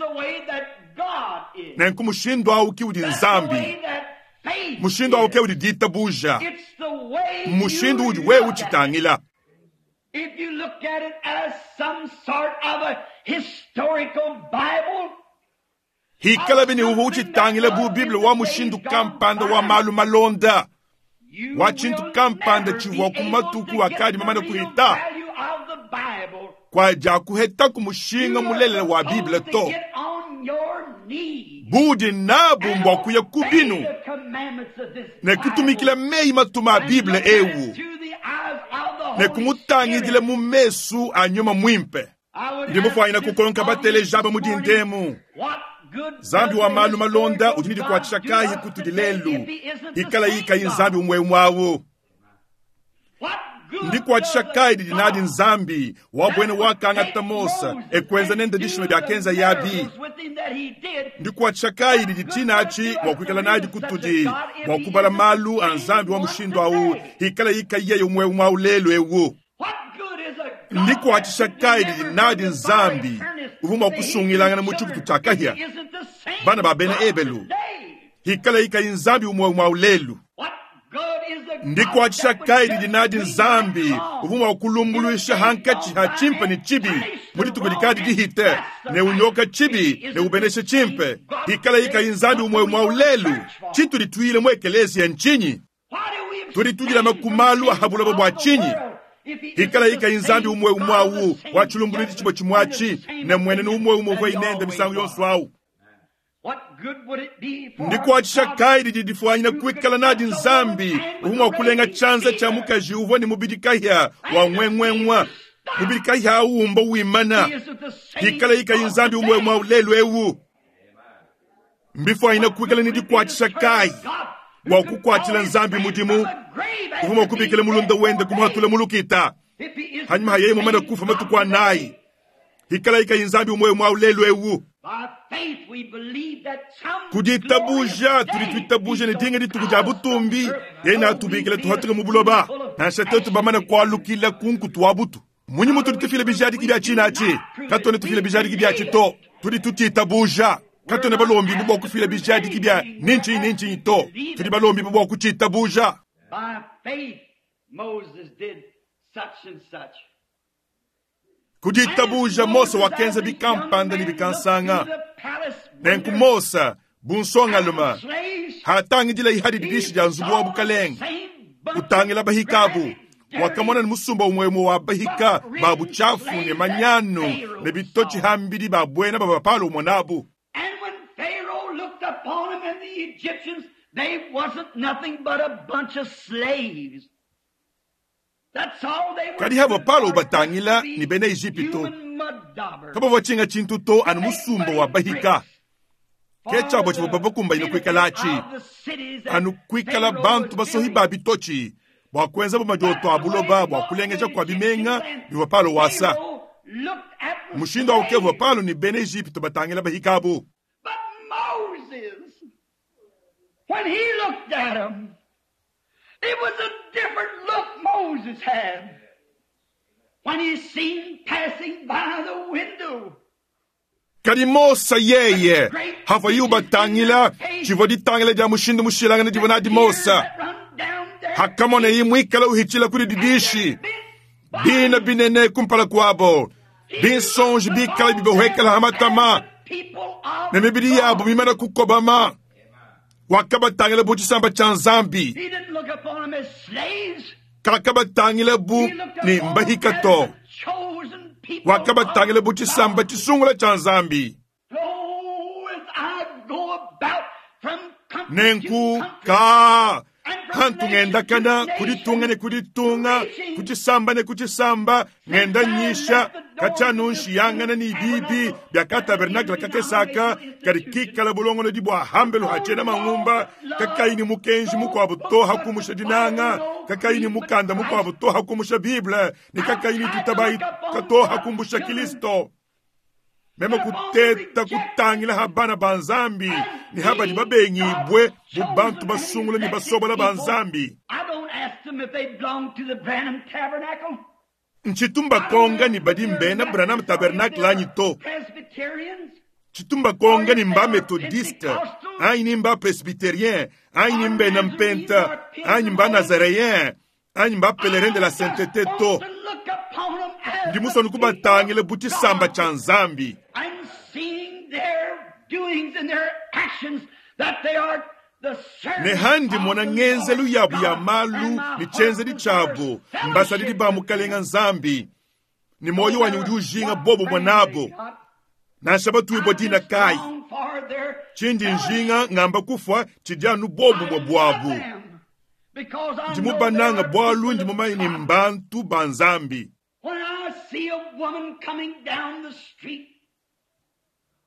Nenku mushindu awu ki udi Nzambi, mushindu awu ke udi ditabuja, mushindu udi wewe utshitangila. If you look at it as some sort of a historical Bible, hikala bini uhu utshitangila bu Bible wa mushindu kampanda wa malu malonda wa tshintu kampanda tshivua ku matuku akadi mamana kuhita kwa dia kuheta ku mushinga mulelela wa Bible to. Budi nabu mbwa kuya kubinu ne kutumikila meyi matuma a Bible ewu ne kumutangidila mu mesu a nyuma mwimpe. Ndi mufwanyina kukonka bateleja ba mudindemu. Nzambi wa malu malonda udi nidikwatshisha kayi kutudi lelu ikala yikayi Nzambi umwe mwawu. Ndikwatshisha kayi didi nadi Nzambi wa bwene wakangata Mosa ekwenza nende dishima bya kenza yabi. Ndikwatshisha kayi didi tshinachi bua kuikala nadi kutudi bua kubala malu a Nzambi wa mushindu awu ikala yikayi yeye umwe mwawu lelu ewu. Ndikwatshisha kayi didi nadi Nzambi uvua mua kusungilangana mu tshikutu tshia kahia bana ba bena Ebelu hikala yikayi Nzambi umwe mwawu lelu. Ndikwatshisha kayi didi nadi Nzambi uvua mua kulumbuluisha hankatshi ha tshimpe ne tshibi mu dituku dikadi dihite ne unyoka tshibi ne ubeneshe tshimpe hikala yikayi Nzambi umwe mwawu lelu. Tshitu dituile mu ekeleziya ntshinyi? Tudi tudilama ku malu ahabulaba bua tshinyi? Hikala yikayi Nzambi umwe umwawu wa tshilumbuluidi tshibue tshimwatshi ne mwenene umwe umwe uvua inende misangu yonso awu. Ndikuatshisha kayi didi difuanyina kuikala nadi Nzambi uvua mua kulenga tshianza tshia mukaji uvua ne mubidi kahia wa ngwenguengua, mubidi kahia au umba wimana, hikala ikayi Nzambi umue umue lelu eu? Mbifuanyina kuikala ne dikuatshisha kayi bua kukuatshila Nzambi mudimu uvua mua kubikila mulunda wende kumuhatula mu lukita hanyuma ha yeye mumane kufa matuku anayi, hikala ikayi Nzambi umue umue lelu eu? Ku ditabuja tudi tuitabuja ne dinga dituku dia butumbi yeye natubikila tuhatuke mu buloba, nansha tuetu bamane kualukila ku nkutu wa butu. Munyi mutudi tufila bijadiki bia tshina atshi? Katuena tufila bijadiki biatshi to, tudi tutshitabuja. Katuena balombibue bua kufila bijadiki bia ni ntshinyi ni ntshinyi to, tudi balombibue bua kutshitabuja. Ku ditabuja Mose wakenza bikampanda ne bikansanga. Nenku Mose bu nsongalume hatangidila ihadi didishi dia nzubu wa bukalenge, utangila bahikabu, wakamona ne musumba umue umue wa bahika ba butshiafu ne manyanu ne bitotshi hambidi ba buena bava Palo umue nabu. And when Pharaoh looked upon them and the Egyptians, they wasn't nothing but a bunch of slaves. That's all they were. Kadi hava Palo ubatangila ne bena Ejipitu, kabavua tshinga tshintu to anu musumba wa bahika. Ke tshiabo tshivua babakumbanyine kuikalatshi, anu kuikala bantu basohi ba bitotshi bua kuenza bu madioto a buloba bua kulengeja kua bimenga bivua Palo wasa. Mushindu au ke uvua Palo ne bena Ejipitu batangila bahikabu. But Moses, when he looked at them, it was a different look Moses had when he seen passing by the window. Kadi Mose yeye havuaye ubatangila, tshivua ditangila dia mushindu mushilangane divua nadi Mose. Hakamonaye muikale uhitshila kudi didishi, bina binene kumpala kuabo, binsonji bikale bibahuekela ha matama, ne mibidi yabo mimane kukobama. Wakabatangila bu tshisamba tshia Nzambi, He didn't look upon them as slaves. kakabatangila bu He looked ne upon them mbahika as to. the chosen people Wakabatangila bu of tshisamba God. tshisungula tshia Nzambi. Oh, as I go about from country to Nenku country, ka and from hantu nation to ngendakana nation, kuditunga ne kuditunga, preaching, kutshisamba ne kutshisamba, ngenda nyisha katshianu nshiyangana ne bibi bia katabernakle kakesaka kadi kikala bulongolodi bua hambelu ha tshiena mangumba, kakayi ne mukenji mukuabu to hakumusha dinanga, kakayi ne mukanda mukuabu to hakumusha Bible, ne kakayi ne tutabayi to hakumbusha Kristo. Meme kuteta kutangila ha bana ba Nzambi ne ha badi babengibue bu bantu basungula ne basobola ba Nzambi. I don't ask them if they belong to the Branham Tabernacle. Ntshitumba konga ni badi mbena Branham Tabernacle anyi to. Presbyterians. Tshitumba konga ni mba Methodiste, anyi ni mba Presbyterien, anyi ni mbena Mpenta, anyi mba Nazaréen, anyi mba Pèlerin de la Sainteté to. Ndi musonu kubatangila bu tshisamba tshia Nzambi. And seeing their doings and their actions that they are the Ne servants handi of mona the ngenzelu Lord yabu ya God, malu and my ne tshienzedi heart tshiabu, desires mbasadidi ba fellowship mukalenga with Nzambi. Ne moyo wanyi udi ujinga them. bobo mwanabo, What friend nansha batuibua they dina got? I kayi. just long for their Tshindi fellowship. njinga ngamba kufua tshidi anu bobumue buabu. I love them because I Ndi know they mubananga are bualu people ndi of mumanyi ne God. mbantu ba Nzambi. When I see a woman coming down the street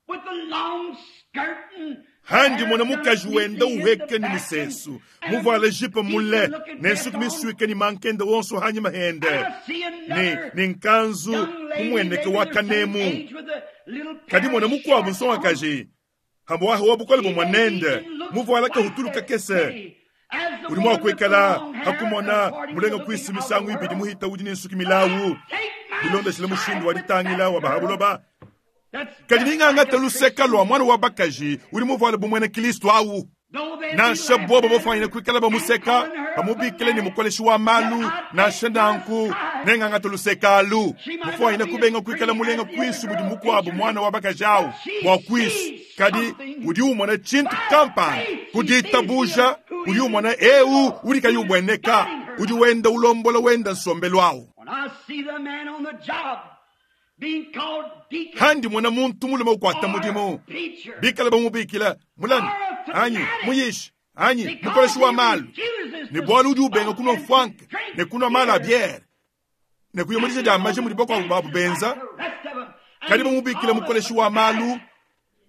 with a long skirt and Handi hair mona done mukaji wenda neatly in uheka the ni back musesu, and muvuale jipe mule, decent looking ne dress nsuku on, misuike ni mankende wonso hanyima hende, and I see ne, another ne nkanzu young lady, mumueneke maybe wa the same kanemu. age with a little Kadi pair mona of mukuabu shorts on. nsongakaji, hambo wa bukole She bumue maybe nende, even looks muvuala quite kahutulu as kakese. pretty as the Udi mua woman with the kuikala long hair, hakumona according to mulenga the kuisu looking of the misangu ibidi world. muhita udi ne nsuki milawu. Take my Bilondeshile mushindu side wa with ditangila that wa girl. bahabuloba. That's Kadi just ningangata like a luseka Christian. lua mwana wa bakaji udi muvuale bumwena Kristo awu. Though they be Nansha laughing bobo at her bafwanyine kuikala and bamuseka, calling her a bamubikile ne fanatic, mukoleshi wa yet malu, I nansha take my nanku side. nengangata luseka alu. She might not Mufwanyine be as kubenga kuikala pretty mulenga as the other kwisu mudi girl mukuabu teacher, mwana wa bakaji awu, but she bua kwisu. sees Kadi something. udi umona tshintu By kampanda, faith she sees kuditabuja, him who udi is umona eu invisible, udi kayi who is ubweneka, guiding her udi life. wenda ulombola wenda nsombelu awu. When I see the man on the job Handi mona muntu mulume ukuata mudimu, bikala bamubikila mulami anyi muyishi anyi mukoleshi wa malu, ne bualu udi ubenga kunua mfuanka ne kunua malu a biere ne kuya mu dija dia maja mudi bakuabu babu benza, kadi bamubikila mukoleshi wa malu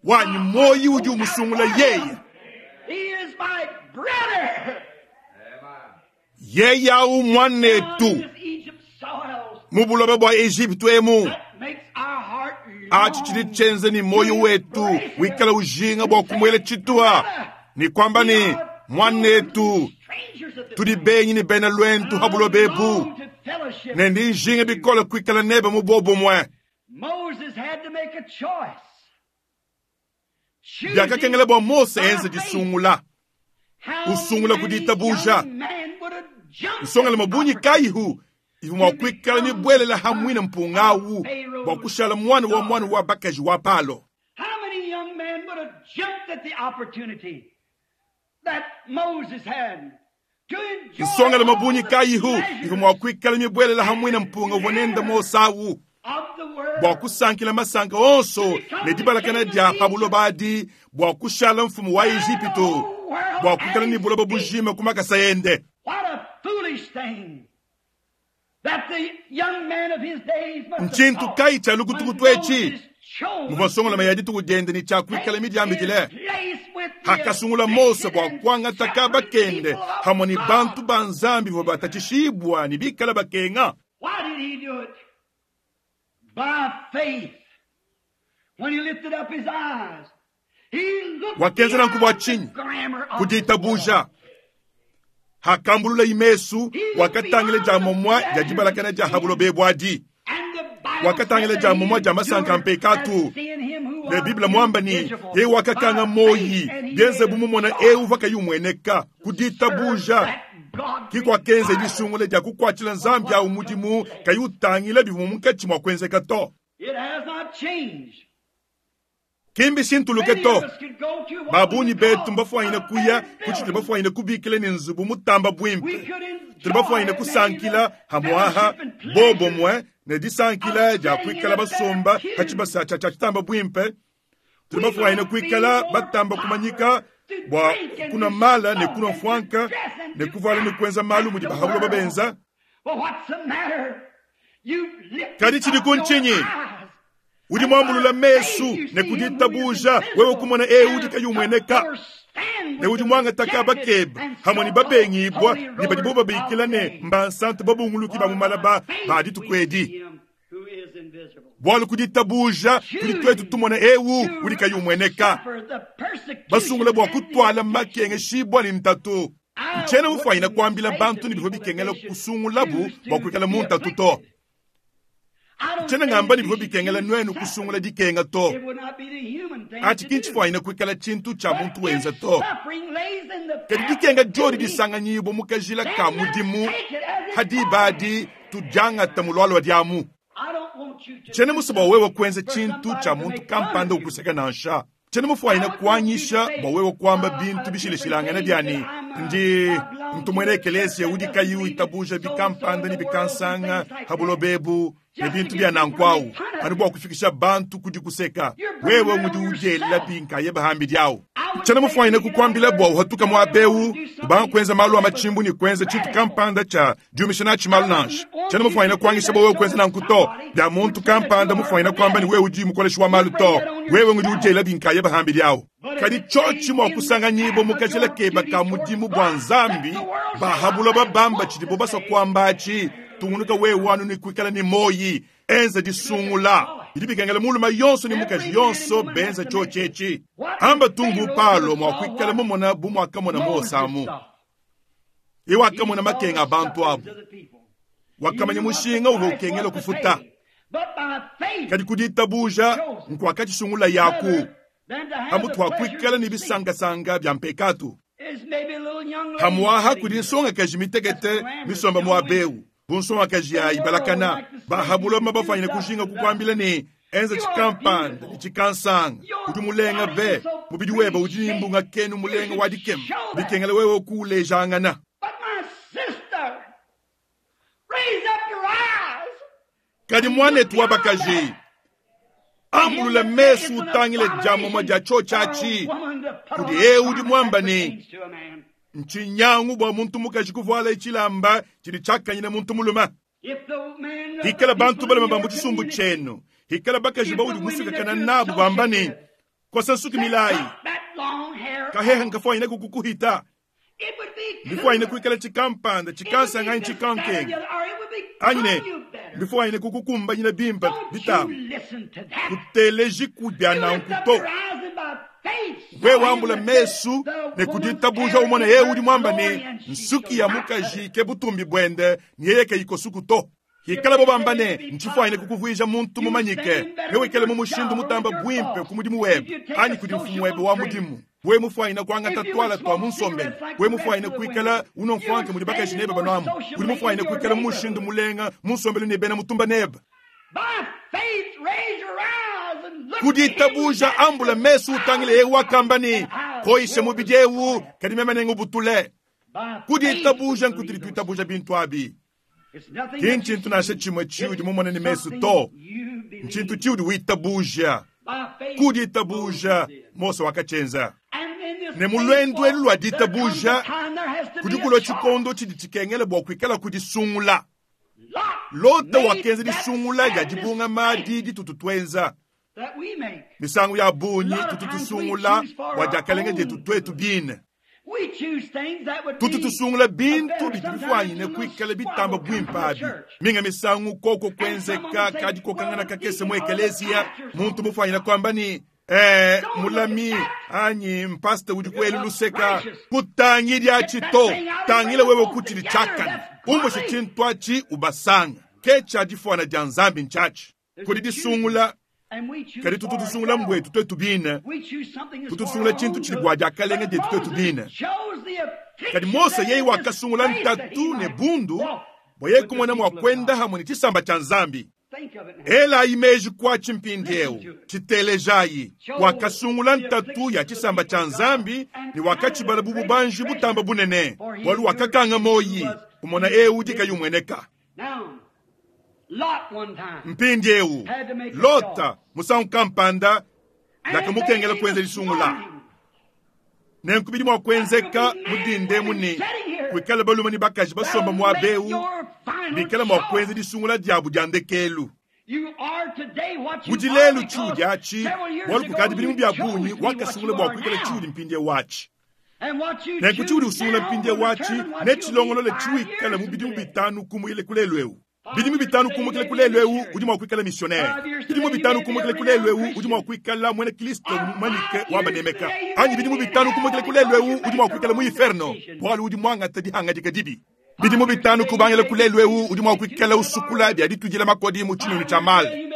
wanyi, muoyi udi umusungula yeye. Yeye au muanetu mu buloba bua Ejipitu emu. Atshi tshidi tshienza ne muoyo wetu wikala ujinga bua kumuela tshituha ne kuamba ne, muanetu, tudi benyi ne bena luendu ha buloba ebu, ne ndi njinga bikole kuikala nebe mu buobumue. Biakakengela bua Mose enze disungula, usungula ku ditabuja. Nsongalume bungi kayihu ivua mua kuikala mibuelela ha muine mpunga au bua kushala muana wa muana wa bakaji wa Palo? Nsongalume bungi kayihu ivua mua kuikala mibuelela ha muine mpunga uvua nende Mose au bua kusankila masanka onso ne dibalakana dia pa buloba adi, bua kushala mfumu wa Ejipitu, bua kuikala ne buloba bujima ku makasa ende? Ntshintu kayi tshia lukutukutu etshi muvua nsongalume ya dituku diende ne tshia kuikala midiambikile? Hakasungula Mose bua kuangata kaba kende hamue ne bantu ba Nzambi bavua batatshishibua ne bikala bakenga. Wakenza nanku bua tshinyi? Ku ditabuja. Hakambulula mesu, wakatangila dia momua dia dibalakana dia ha buloba ebu adi. Wakatangila dia momua dia masanka a mpekatu. Ne Bible muamba ne, yeye wakakanga moyi, bienze bu mumona eu uvua kayi umueneka. Ku ditabuja ke kuakenza disungula dia kukuatshila Nzambi au mudimu, kayi utangila bivua munkatshi mua kuenzeka to. Ki mbishintuluke to. Ba bungi betu mbafuanyine kuya ku tshitudi bafuanyine kubikila ne nzubu mutamba buimpe. Tudi bafuanyine kusankila hamuaha bobumue ne disankila dia kuikala basomba pa tshibasa tshia tshitamba buimpe. Tudi bafuanyine kuikala batamba kumanyika bua kunua mala ne kunua mfuanka ne kuvuala ne kuenza malu mudi bahabuloba benza. Kadi tshidiku ntshinyi? Udi muambulula mesu ne ku ditabuja wewe kumona eu udi kayi umueneka, ne udi muangata kaba kebe hamue ne babengibua ne badibo babikila ne mbansantu babunguluki ba mu malaba ba dituku edi. Bualu ku ditabuja tudi tuetu tumona eu udi kayi umueneka, basungula bua kutuala makengeshibua ne ntatu. Ntshiena mufuanyine kuambila bantu ne bivua bikengela kusungulabu bua kuikala mu ntatu to. Ntshiena ngamba ne bivua bikengela nuenu kusungula dikenga to. Atshi ki ntshifuanyine kuikala tshintu tshia muntu wenza to. Kadi dikenga diodi disanganyibua mu kajila ka mudimu, ha diba adi tudiangata mu lualua diamu. Tshiena musue bua wewe kuenza tshintu tshia muntu kampanda ukuseka nansha. Tshiena mufuanyine kuanyisha bua wewe kuamba bintu bishilashilangane bia ne, ndi ntu muena ekeleziya udi kayi witabuja bikampanda ne bikansanga ha buloba ebu ne bintu bia nanku au, anu bua kufikisha bantu ku dikuseka. Wewe ngudi udiela binkayebe hambidi au. Tshiena mufuanyine kukuambila bua uhatuka muaba eu ubanga kuenza malu a matshimbu ne kuenza tshintu kampanda tshia diumisha natshi malu nansha. Tshiena mufuanyine kuanyisha bua wewe kuenza nanku to. Bia muntu kampanda mufuanyine kuamba ne wewe udi mukoleshi wa malu to. Wewe ngudi udiela binkayebe hambidi au. Kadi tshiotshi mua kusanganyibua mu kajila keba ka mudimu bua Nzambi, ba ha buloba bamba tshidibo basua kuamba atshi, tungunuka wewe anu ne kuikala ne moyi. Enza disungula. Bidi bikengela mulume yonso ne mukaji yonso benza tshiotshi etshi. Amba tung bu Paulo mua kuikala mumona bu muakamona Mose amu. Yeye wakamona makenga a bantu abu. Wakamanya mushinga uvua ukengela kufuta. Kadi ku ditabuja nkuakatshisungula yaku pamutu pa kuikala ne bisankasanka bia mpekatu. Pamuaha kudi nsongakaji mitekete misomba muaba eu, bu nsongakaji ya ibalakana, bahabuloma bafuanyine kujinga kukuambila ne, enza tshikampanda ne tshikansanga, udi mulenga be, mubidi webe udi ne mbunga kenu mulenga wa dikema, bikengela wewe kuulejangana. Kadi muanetu wa bakaji, ambulula mesu utangile dia momumue dia tshiotshi atshi kudi eu udi muamba ne, Ntshinyangu bua muntu mukaji kuvuala tshilamba tshidi tshiakanyine muntu mulume. Hikala bantu balume ba mu tshisumbu tshienu, hikala bakaji baudi musuikakana nabu bamba ne, Kosa nsuki milayi, kaheha nkafuanyine kukukuhita, mbifuanyine kuikala tshikampanda tshikansanga anyi tshikankenga, anyi ne mbifuanyine kukukumbanyina bimpe bitamba, kuteleji ku bia nanku to. Wewe wambula mesu ne ku ditabuja umone yeye udi muamba ne, nsuki ya mukaji ke butumbi buende ne yeye kayikosuku to. Hikalabo bamba ne, Ntshifuanyine kukuvuija muntu mumanyike, newikale mu mushindu mutamba buimpe ku mudimu webe anyi kudi mfumu webe wa mudimu. Wewe mufuanyine kuangata tuala tua mu nsombelu, wewe mufuanyine kuikala unua mfuanka mudi bakaji nebe banuamu, udi mufuanyine kuikala mu mushindu mulenga mu nsombelu ne bena mutumba nebe. Ku ditabuja ambula mesu utangile yeye wakamba ne, Koyisha mubidi eu, kadi meme nengubutule. Ku ditabuja nkutudi tuitabuja bintu abi. Ki ntshintu nansha tshimue tshiudi mumone ne mesu to, ntshintu tshiudi witabuja. Ku ditabuja Mose wakatshienza. Ne mu luendu elu lua ditabuja kudi kulua tshikondo tshidi tshikengela bua kuikala kudisungula. Lota wakenza disungula dia dibungama adi ditutu tuenza. Misangu ya bungi tutu tusungula bua diakalenga dietu tuetu bine. Tutu tusungula bintu bidi bifuanyine kuikala bitamba buimpe abi. Minga misangu koko kuenzeka kadikokangana kakese mu ekeleziya, muntu mufuanyine kuamba ne, Eh, mulami anyi mpasta udi kuelu luseka, kutangidi atshi to, tangila wewe kutshidi tshiakane, umbushe tshintu atshi ubasanga. Ke tshia difuana dia Nzambi ntshiatshi. Kudi disungula, kadi tutu tusungula mbuetu tuetu bine, tutu tusungula tshintu tshidi bua diakalenga dietu tuetu bine. Kadi Mose yeye wakasungula ntatu ne bundu bua yeye kumona mua kuenda hamue ne tshisamba tshia Nzambi. Elayi meji kuatshi mpindieu, tshitelejayi. Wakasungula ntatu ya tshisamba tshia Nzambi ne wakatshibala bu bubanji butamba bunene, bualu wakakanga muoyi umona eu udi kayi umueneka. Mpindieu, Lota musangu kampanda biakamukengela kuenza disungula. Nenku bidi mua kuenzeka mu dinda emu ne kuikala balume ne bakaji basomba muaba eu bikala mua kuenza disungula diabu dia ndekelu. Udi lelu tshiudi atshi bualu kukadi bidimu bia bungi wakasungula bua kuikala tshiudi mpindieu atshi. Nenku tshiudi usungula mpindieu atshi netshilongolole tshiwikala mu bidimu bitanu kumukila ku lelu eu. Bidimu bitanu kumukila ku lelu eu udi mua kuikala misionere. Bidimu bitanu kumukila ku lelu eu udi mua kuikala muena Kristo mumanyike wa banemeka. Anyi bidimu bitanu kumukila ku lelu eu udi mua kuikala mu inferno bualu udi muangata dihangadika dibi. Bidimu bitanu kubangila ku lelu eu udi mua kuikala usukula bia ditudila makodi mu tshinunu tshia male.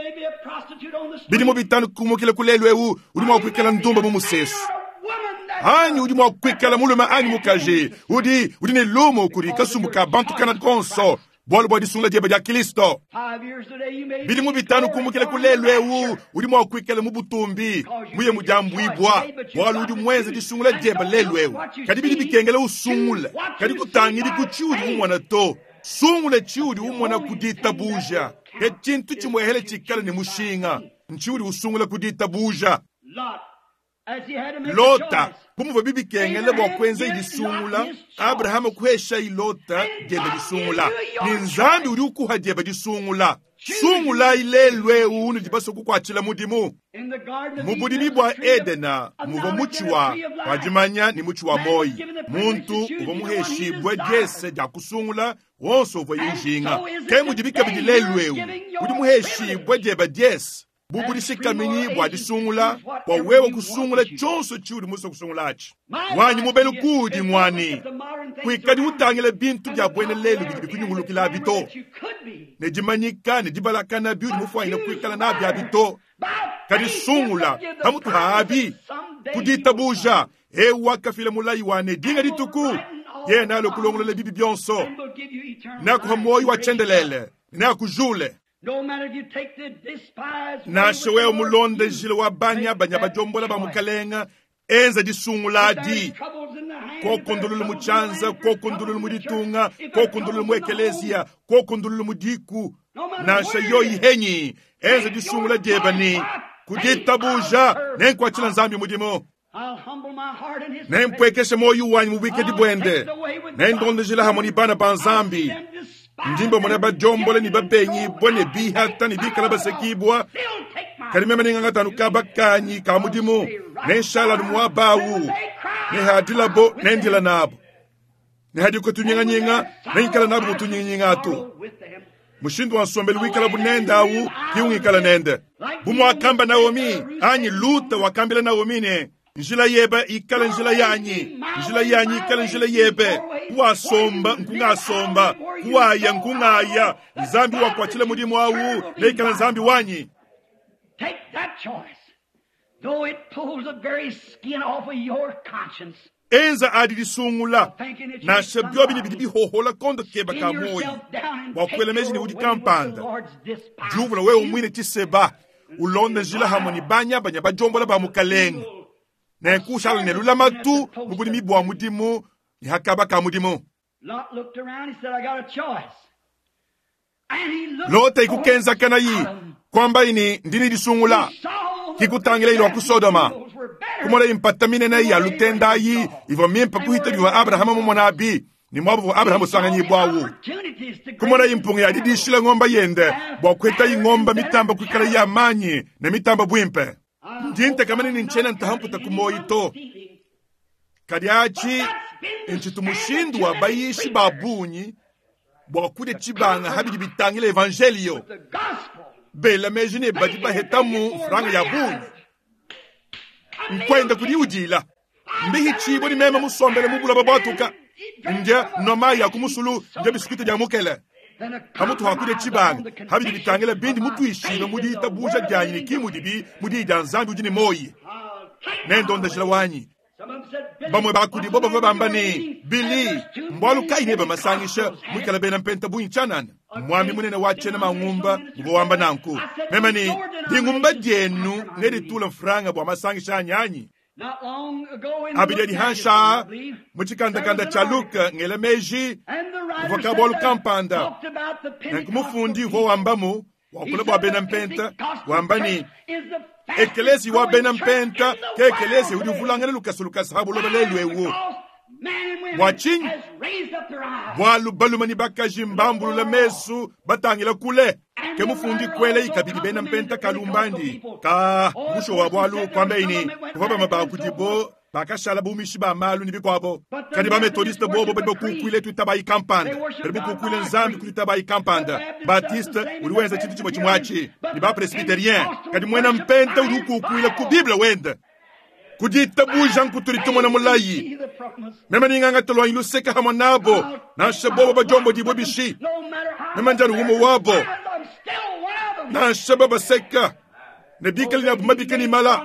Bidimu bitanu kumukila ku lelu eu udi mua kuikala ndumba mu musesu. Anyi udi mua kuikala mulume anyi mukaji udi udi ne lumu kudi kasumbu ka bantu kana konso bualu bua disungula diebe dia Kristo. Bidimu bitanu kumukila ku lelu eu udi mua kuikala mu butumbi muye mu diambuibua bualu udi muenze disungula diebe lelu eu. Kadi bidi bikengela usungule, kadi kutangidi ku tshiudi umona to. Sungula tshiudi umona ku ditabuja. Ke tshintu tshimuehele tshikale ne mushinga, ntshiudi usungula ku ditabuja. Lota, bu muvua bibikengela bua kuenza disungula, Abrahama kuheshayi Lota diende disungula, ne Nzambi udi ukuha diebe disungula. Sungulayi lelu eu unudi basue kukuatshila mudimu. Mu budimi bua Edena muvua mutshi wa wa dimanya ne mutshi wa muoyo. Muntu uvua muheshibue diese dia kusungula wonso uvuaye ujinga. Ke mudibi kabidi lelu eu, udi muheshibue diebe diese bu budishikaminyi bua disungula, bua wewe kusungula tshionso tshiudi musue kusungula atshi. Wanyi mubelu kuudi ng'wa ne, kuikadi utangila bintu bia buena lelu bidi bikunyungulukila abi to, ne dimanyika ne dibalakana biudi mufuanyine kuikala nabi abi to, kadi sungula pamutu ha abi ku ditabuja eu wakafila mulayi wa ne dinga dituku yeye nalue kulongolola bibi bionso, neakuha muoyo wa tshiendelele, neakujule. Nansha wewe mulonde njila wa banyabanya badiombola ba mukalenga, enza disungula adi. Koko ndululu mu tshianza, koko ndululu mu ditunga, koko ndululu mu ekeleziya, koko ndululu mu diku. Nansha yoyi henyi, enza disungula diebe ne ku ditabuja nenkuatshila Nzambi mudimu. Nempuekeshe muoyo wanyi mu buikadi buende, nendondejila hamue ne bana ba Nzambi. Ndi mbamona badiombole ne babengibua ne bihata ne bikala basekibua, kadi meme nengangata anu kaba kanyi ka mudimu, nenshala anu muaba awu, ne hadilabo nendila nabo, ne hadiko tunyinganyinga nengikala nabo mu tunyinganyinga atu. Mushindu wa nsombelu wikalabu nende awu ke ungikala nende. Bu muakamba Naomi, anyi Luta wakambila Naomi ne, Njila yebe ikale njila yanyi, njila yanyi ikale njila yebe. Kuwasomba nkungasomba, kuwaya nkungaya. Nzambi wakuatshila mudimu awu neikale Nzambi wanyi. Take that choice, though it pulls the very skin off of your conscience. Enza adi disungula, nansha biobi ne bidi bihohola kondo keba ka muoyo bua kuela meji ne udi kampanda. Diuvula wewe muine tshiseba, ulonda njila hamue ne banyabanya badiombola ba Mukalenge, nenku ushala ne lulamatu mu budimi bua mudimu ne ha kaba ka mudimu. Lota ikukenzakanayi, kuambayi ne, Ndi ne disungula. Kikutangilayi lua ku Sodoma, kumonayi mpata minene ya lutenda ayi ivua mimpe kuhita bivua Abrahama mumona abi ne muaba uvua Abrahama usanganyibua awu. Kumonayi mpunga ya didishila ngomba yende bua kuhetayi ngomba mitamba kuikala ya manyi ne mitamba buimpe. Ndi ntekamana ne ntshiena ntaha mputa ku muoyi to. Kadi atshi ntshitu mushindu wa bayishi ba bungi bua kudia tshibanga ha bidi bitangila evanjeliyo, bela meji ne badi bahetamu mfranga ya bungi. Nkuenda kudi udila mbihitshibue ne meme musombele mu buloba buatuka, ndia nua mayi a ku musulu, ndia bisukita bia mukele. Pamutu ha kudia tshibanga ha bidi bitangila bindi mutuishibue mu ditabuja dianyi ne ki mudibi mu diyi dia Nzambi udi ne muoyi, nendonda njila wanyi. Bamue ba kudibo bavua bamba ne, Billy, mbualu kayi nebe masangisha muikale bena mpenta bungi tshianana? Muambi munene wa tshiena mangumba uvua wamba nanku. Meme ne, Dingumba dienu neditule mfranga bua masangisha anyi anyi? Abidi adi hanshi aa mu tshikandakanda tshia Look, ngela meji kuvua kabualu kampanda. Nanku mufundi uvua wambamu wakula bua bena mpenta, wamba ne, Ekeleziya wa bena mpenta ke ekeleziya udi uvulangana lukasa lukasa ha buloba lelu eu. Bua tshinyi? Bualu balume ne bakaji mbambulula mesu batangila kule. Ke mufundi kuelayi kabidi bena mpenta kalumbandi ka bushuwa bualu kuambayi ne, kuvua bamue ba kudibo bakashala bumishi ba malu ne bikuabo. Kadi ba-metodiste bobo badi bakukuile tuitabayi kampanda, badi bakukuile Nzambi ku tuitabayi kampanda. Baptiste udi wenza tshintu tshimue tshimue atshi, ne ba-presbyterien. Kadi muena mpenta udi ukukuila ku Bible wende. Ku ditabuja nkutudi tumona mulayi. Meme ningangata luanyi luseke hamue nabo, nansha bobo badiombodibue bishi. Meme ndi anu umue wabo, nansha babaseka ne bikale ne abu mabika ne mala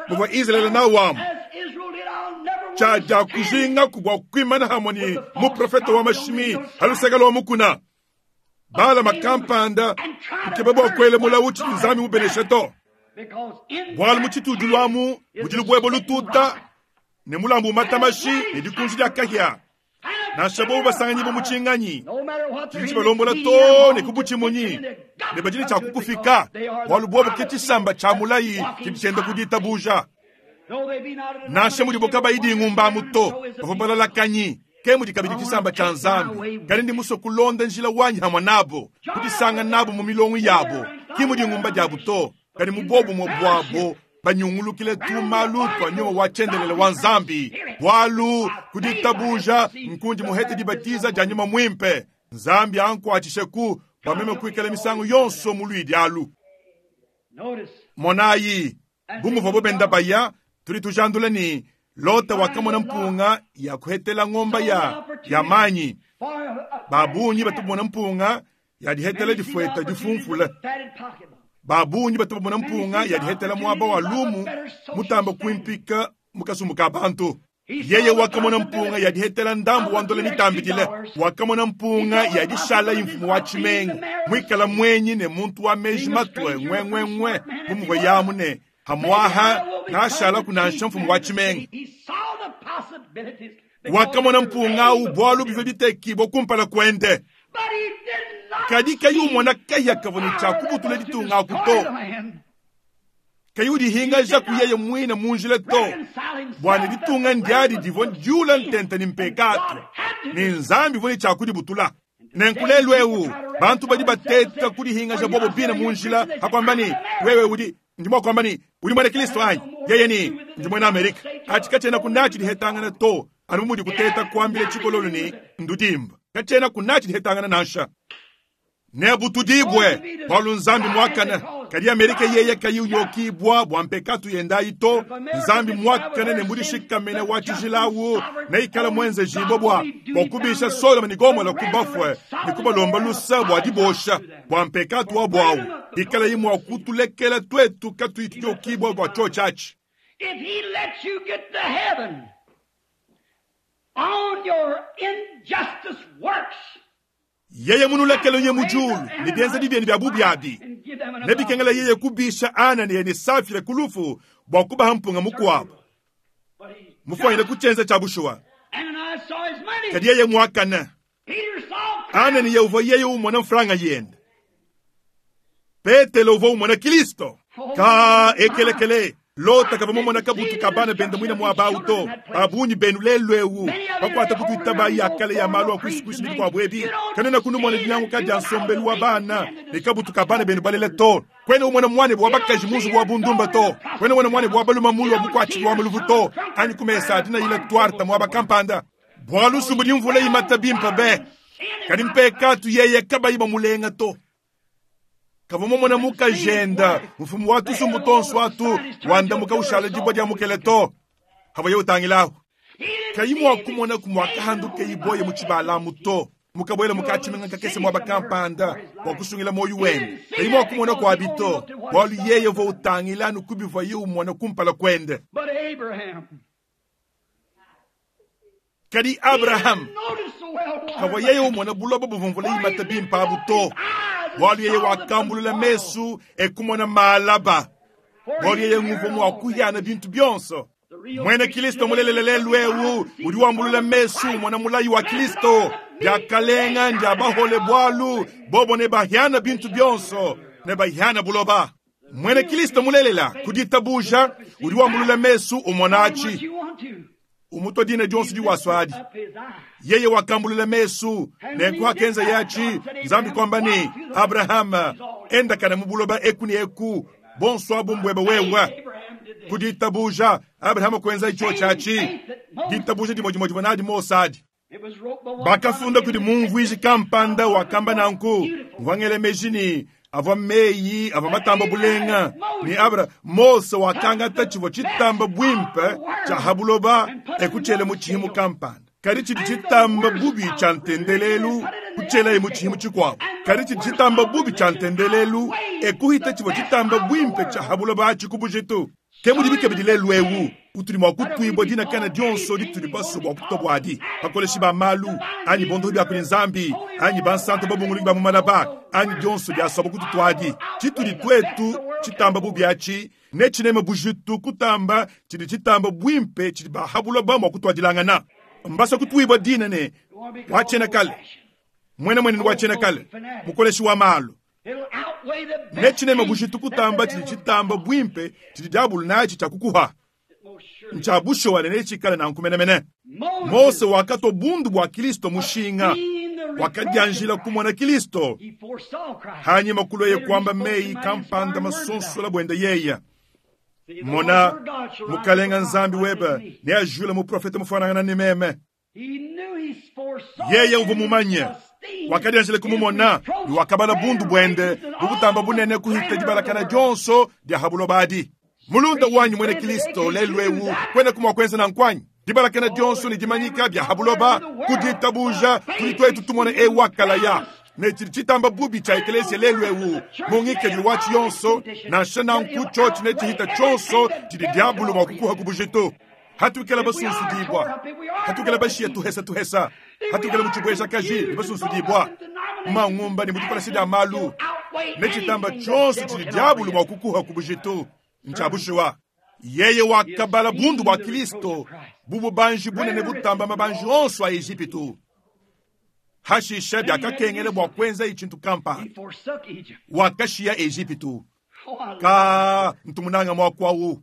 muvua Izalele nawu amu. Tshia dia kujingaku bua kuimana hamue ne muprofete wa mashimi ha luseke lua mukuna. Balama kampanda kukeba bua kuela mulawu tshidi Nzambi mubeneshe to. Bualu mu tshitudilu amu mudi lubuebo lututa ne mulambu umata mashi ne dikunji dia kahia. Nansha bobu basanganyibue mu tshinganyi tshidi tshibalombola too ne ku butshimunyi, ne badi ne tshia kukufika, bualu bobu ke tshisamba tshia mulayi tshidi tshienda ku ditabuja. Nansha mudibo kabayi dingumba amu to, bavua balalakanyi, ke mudi kabidi tshisamba tshia Nzambi. Kadi ndi musue kulonda njila wanyi hamue nabo, kudisanga nabo mu milongo yabo, ki mu dingumba diabu to, kadi mu buobumue buabo banyungulukile tumalu tua nyuma wa tshiendelele wa Nzambi, bualu ku ditabuja nkundi muhete dibatiza dia nyuma muimpe. Nzambi ankuatshisheku bua meme kuikala misangu yonso mu luidi alu. Monayi, bu muvuabo benda baya, tudi tujandula ne, Lota wakamona mpunga ya kuhetela ngomba ya ya manyi. Ba bungi batu bamona mpunga ya dihetela difueta difumfula. Ba bungi batu bamona mpunga ya dihetela muaba wa lumu mutamba kuimpika mu kasumbu ka bantu. Yeye wakamona mpunga ya dihetela ndambu wa ndola mitambidile. Wakamona mpunga ya dishala imfumu wa tshimenga, muikala muenyi ne muntu wa meji matue ngwenngwenngwe bu muvua yamu ne hamuaha nashalaku nansha mfumu wa tshimenga. Wakamona mpunga au bualu bivua bitekibua kumpala kuende. Kadi kayi umona kahia kavua ne tshia kubutula ditunga aku to. Kayi udihingaja ku yeye muine mu njila to, bua ne ditunga ndiadi divua diula ntenta ne mpekatu, ne Nzambi uvua ne tshia kudibutula. Nenku lelu eu bantu badi bateta kudihingaja bobo bine mu njila ha kuamba ne, wewe udi, ndi mua kuamba ne, udi muena Kristo anyi? Yeye ne, ndi muena Amerika. Atshi katshiena kunatshi dihetangana to, anu bu mudi kuteta kuambila tshikololo ne, ndudimba. Katshiena kunatshi dihetangana nansha. Nebutudibue bualu Nzambi muakane. Kadi Amerika yeye kayi unyokibua bua mpekatu yendayi to. Nzambi muakane ne mudishikamene wa tshijilawu neikale muenzejibue bua kubisha Sodoma ne Gomola ku bafue ne kubalomba lusa bua dibosha bua mpekatu wabu awu, bikalayi mua kutulekela tuetu katuyi tunyokibua bua tshiotshi atshi. If he lets you get to heaven on your injustice works, Yeye munulekele nye mu diulu ne bienzedi bienu bia bubi abi, nebikengela yeye kubisha Ananiya ne Safira ku lufu bua kubaha mpunga mukuabu. Mufuanyile ku tshienza tshia bushuwa. Kadi yeye muakane. Ananiya uvua yeye umona mfranga yende. Petelo uvua umona Kristo. Ka ekelekele. Lota kavua mumona kabutu ka bana bende muine muaba awu to. Ba bungi benu lelu eu bakuata ku tuitaba ya kale ya malu a kuisikuisi ne bikuabu ebi, kanuena kunumona dinyanguka dia nsombelu wa bana ne kabutu ka bana benu balela to. Kuena umona muanebe wa bakaji mu nzubu wa bundumba to. Kuena umona muanebe wa balume mulu wa bukuatshiki wa maluvu to, anyi ku mesa a dinayila tuarte muaba kampanda. Bualu nsubu di mvula imata bimpe be, kadi mpekatu yeye kabayi bamulenga to. Kavua mumona mukajenda mfumu wa tusumbu tonso atu wandamuka ushala dibua dia mukele to. Havuaye utangilahu, kayi mua kumona ku muakahanduka iboye mu tshibalamu to, mukabuela mukatshimenga kakese muaba kampanda bua kusungila muoyo wende. Kayi mua kumona kuabi to, bualu yeye uvua utangila anu ku bivuaye umona kumpala kuende. But Abraham, Kadi Abraham kavua yeye umona buloba buvua mvula imata bimpe abu to, bualu yeye wakambulula mesu e kumona malaba, bualu yeye nguvua mua kuhiana bintu bionso. Muena Kristo mulelela lelu eu udi wambulula mesu umona mulayi wa Kristo, diakalenga ndia bahole bualu bobo nebahiana bintu bionso, nebahiana buloba. Muena Kristo mulelela ku ditabuja udi wambulula mesu umona atshi, umutua dina dionso diwaswadi. Yeye wakambulula mesu nenku hakenza yatshi Nzambi kuamba ne, Abrahama, endakana mu buloba eku ne eku, bonso abu mbuebe wewe. Ku ditabuja Abrahama kuenza tshio tshiatshi, ditabuja dimue dimue divua nadi Mose adi. Bakafunda kudi mumvuiji kampanda wakamba nanku, mvua ngela meji ne avua meyi avua matamba bulenga ne Abra Mose wakangata tshivua tshitamba buimpe tshia ha buloba ekutshiela mu tshihimu kampanda, kadi tshidi tshitamba bubi tshia ntendelelu kutshielaye mu tshihimu tshikuabu, kadi tshidi tshitamba bubi tshia ntendelelu ekuhita tshivua tshitamba buimpe tshia ha buloba atshi ku bujitu. Ke mudibi kabidi lelu eu, utudi mua kutuibua dina kana dionso ditudi basue bua kutua buadi, bakoleshi ba malu anyi bondohi bia kudi Nzambi anyi bansanto babunguluki ba mu malaba anyi dionso diasuabu kututuadi. Tshitudi tuetu tshitamba bubi atshi netshineme bujitu kutamba tshidi tshitamba buimpe tshidi ba buloba mua kutuadilangana. Mbasue kutuibua dina ne wa tshiena kale, muena muenenu wa tshiena kale, mukoleshi wa malu. Netshineme bujitu kutamba tshidi tshitamba buimpe tshidi diabulu natshi tshia kukuha. Ntsha bushuwa ne netshikale nanku menemene. Mose wakatua bundu bua Kristo mushinga, wakadianjila kumona Kristo. Hanyima kulweye kuamba meyi kampanda masonsola buende yeye. Mona, Mukalenga Nzambi webe neajule muprofete mufanangana ne meme. Yeye uvua mumanye, wakadianjila kumumona ne wakabala bundu buende bubutamba bunene kuhita dibalakana dionso dia ha buloba adi. Mulunda wanyi muena Kristo lelu eu kwena kumua kuenza nanku anyi? Dibalakana dionso ne dimanyika bia ha buloba ku ditabuja tudi tuetu tumona eu wakalaya ne tshidi tshitamba bubi tshia ekelesia lelu eu mu ngikadilu watshi yonso, nansha nanku tshiotshi ne tshihita tshionso tshidi diabulu mua kukuha ku bujitu. Hatukela basunsudibua, hatukela bashiya tuhesa tuhesa, hatukela mu tshibuejakaji ne basunsudibua mu mangumba ne mu dikolesha dia malu, ne tshitamba tshionso tshidi diabulu mua kukuha ku bujitu ntsha bushuwa. Yeye wakabala bundu bua Kristo bu bubanji bunene butamba mabanji onso a Ejipitu. Hashisha biakakengela bua kuenzaye tshintu kampanda. Wakashiya Ejipitu. Ka ntu munanga muaku au.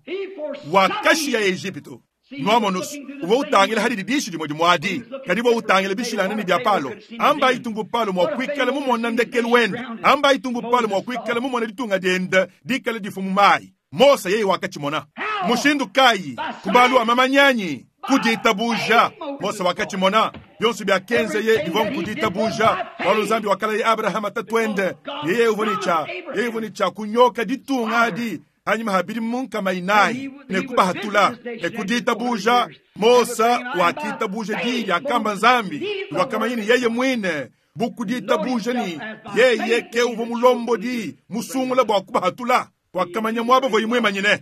Wakashiya Ejipitu. Nwamonu's, uvua utangila hadidi dishi dimue dimue adi, kadi uvua utangila bishilangane ne bia Palo. Ambayi tumbu Palo mua kuikala mumona ndekelu wende. Ambayi tumbu Palo mua kuikala mumona ditunga diende dikale difua mu mayi. Mose yeye wakatshimona. Mushindu kayi? Ku malu a mamanyanyi, ku ditabuja. Mose wakatshimona. Bionso biakenzeye bivua nku ditabuja, bualu Nzambi wakalaya Abrahama tatuende, yeye uvua ne tshia, yeye uvua ne tshia kunyoka ditunga adi panyima ha bidimu nkama inayi ne kubahatula. Ne ku ditabuja Mose wakitabuja diyi diakamba Nzambi, ne wakamanya ne yeye muine bu ku ditabuja ne yeye ke uvua mulombodi musungula bua kubahatula. Wakamanya muaba uvuaye muimanyine.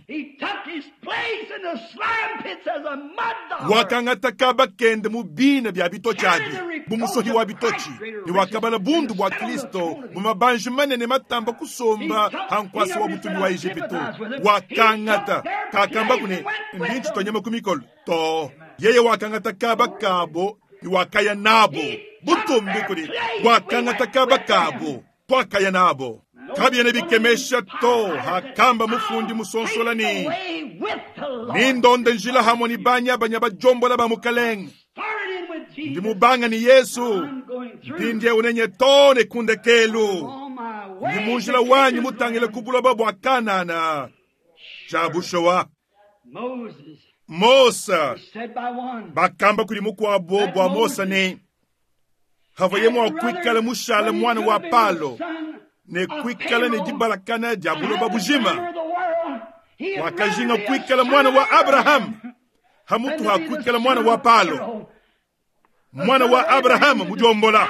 Wakangata kaba kende mu bina bia bitotshi abi bu musohi wa bitotshi, ne wakabala bundu bua Kristo mu mabanji manene matamba kusomba ha nkuasa wa butumbi wa Ejipitu. Wakangata, kakambaku ne, Ndi ntshitua nyama ku mikolo to. Yeye wakangata kaba kabo ne wakaya nabo. Butumbi kudi! Wakangata kaba kabo, tuakaya nabo. Kabiena bikemesha to hakamba mufundi musonsola ne, Nindonde njila hamue ne banyabanya badiombola ba Mukelenge. Ndi mubanga ne Yesu, mpindieu nenye too ne ku ndekelu. Ndi mu njila wanyi mutangile ku buloba bua Kanana. Tshia bushuwa, Mose, bakamba kudi mukuabo bua Mose ne, havuaye mua kuikala mushale muana wa Palo ne kuikala ne dibalakana dia buloba bujima, wakajinga kuikala muana wa Abrahama hamutu ha kuikala muana wa Palo. Muana wa Abrahama mudiombola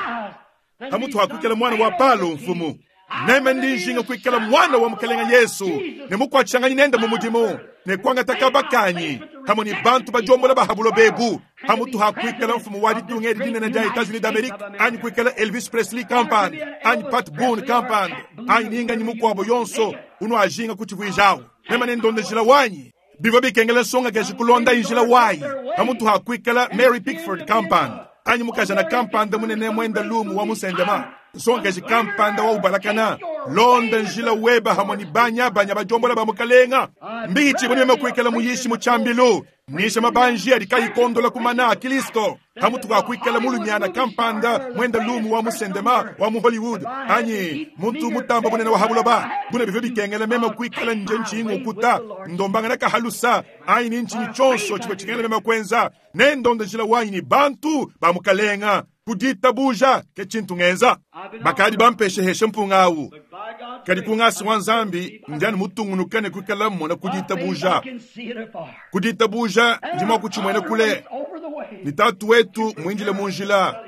hamutu ha kuikala muana wa Palo mfumu. Meme ndi njinga kuikala muana wa Mukelenge Yesu ne mukuatshishanganyi nende mu mudimu ne kuangata kaba kanyi pamue ne bantu badiombola ba ha buloba ebu, hamutu ha kuikala mfumu wa ditunga edi dinene dia Etats-Unis d'Amerique, anyi kuikala Elvis Presley kampanda, anyi Pat Boone kampanda, anyi ninganyi mukuabo yonso unuajinga kutshivuijawu. Meme nendonde njila wanyi. Bivua bikengela nsongakaji kulonda njila wayi, pamutu ha kuikala Mary Pickford kampanda, anyi mukajana kampanda munene muenda lumu wa musendema, nsongakaji kampanda wa ubalakana. Londa njila weba hamue ne banyabanya badiombola ba Mukalenga. Mbihitshibue ne meme kuikala muyishi mu tshiambilu, nyisha mabanji adi kayi kondola ku mana a Kilisto, pamutu pa kuikala mulumiana kampanda muenda lumu wa musendema wa mu Hollywood, anyi muntu mutamba bunene wa ha buloba. Buna bivua bikengela meme kuikala nje ntshinyi ngukuta, ndombangana kahalusa, anyi ni ntshinyi tshionso tshivua tshikengela meme kuenza, nendonde njila wanyi ne bantu ba Mukalenga ku ditabuja, ke tshintu ngenza. Bakadi bampesheheshe mpunga au, kadi ku ngasa wa Nzambi ndi anu mutungunuke ne kuikala mmona ku ditabuja. Ku ditabuja ndi mua kutshimuena kule ne Tatu wetu muindile mu njila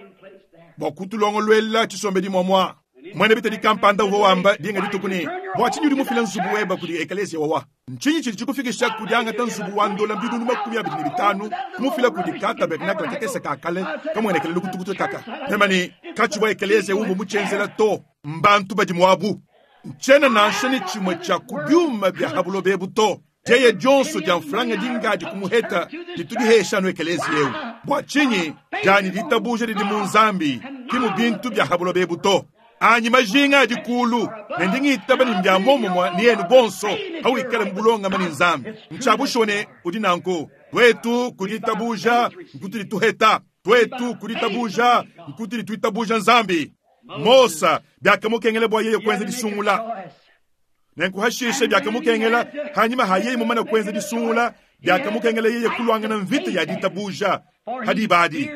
bua kutulongoluela tshisombedi muamua. Muena bitadi kampanda uvua wamba dinga dituku ne, Bua tshinyi udi mufile nzubu webe kudi ekeleziya wawa? Ntshinyi tshidi tshikufikisha ku diangata nzubu wa ndola binunu 25 kumufila kudi ka tabernakle kakese ka kale kamuenekele lukutukutu kaka? Mema ne, Katshivua ekeleziya umvua mutshienzela to, mbantu badi muabu. Ntshiena nansha ne tshimue tshia ku biuma bia ha buloba ebu to. Dieya dionso dia mfranga dingadi kumuheta ditu dihesha anu ekeleziya eu. Bua tshinyi? Dianyi ditabuja didi mu Nzambi, ki mu bintu bia ha buloba ebu to. Anyi majinga adi kulu, ne ndi ngitaba ne mbia muomumue ne enu bonso, pawikala mu bulongame ne Nzambi. Ntshia bushuwa ne udi nanku. Tuetu ku ditabuja nkutudi tuheta. Tuetu ku ditabuja nkutudi tuitabuja Nzambi. Mose, biakamukengela bua yeye kuenza disungula. Nenku hashishe biakamukengela, hanyima ha yeye mumane kuenza disungula, biakamukengela yeye kuluangana mvita ya ditabuja ha diba adi,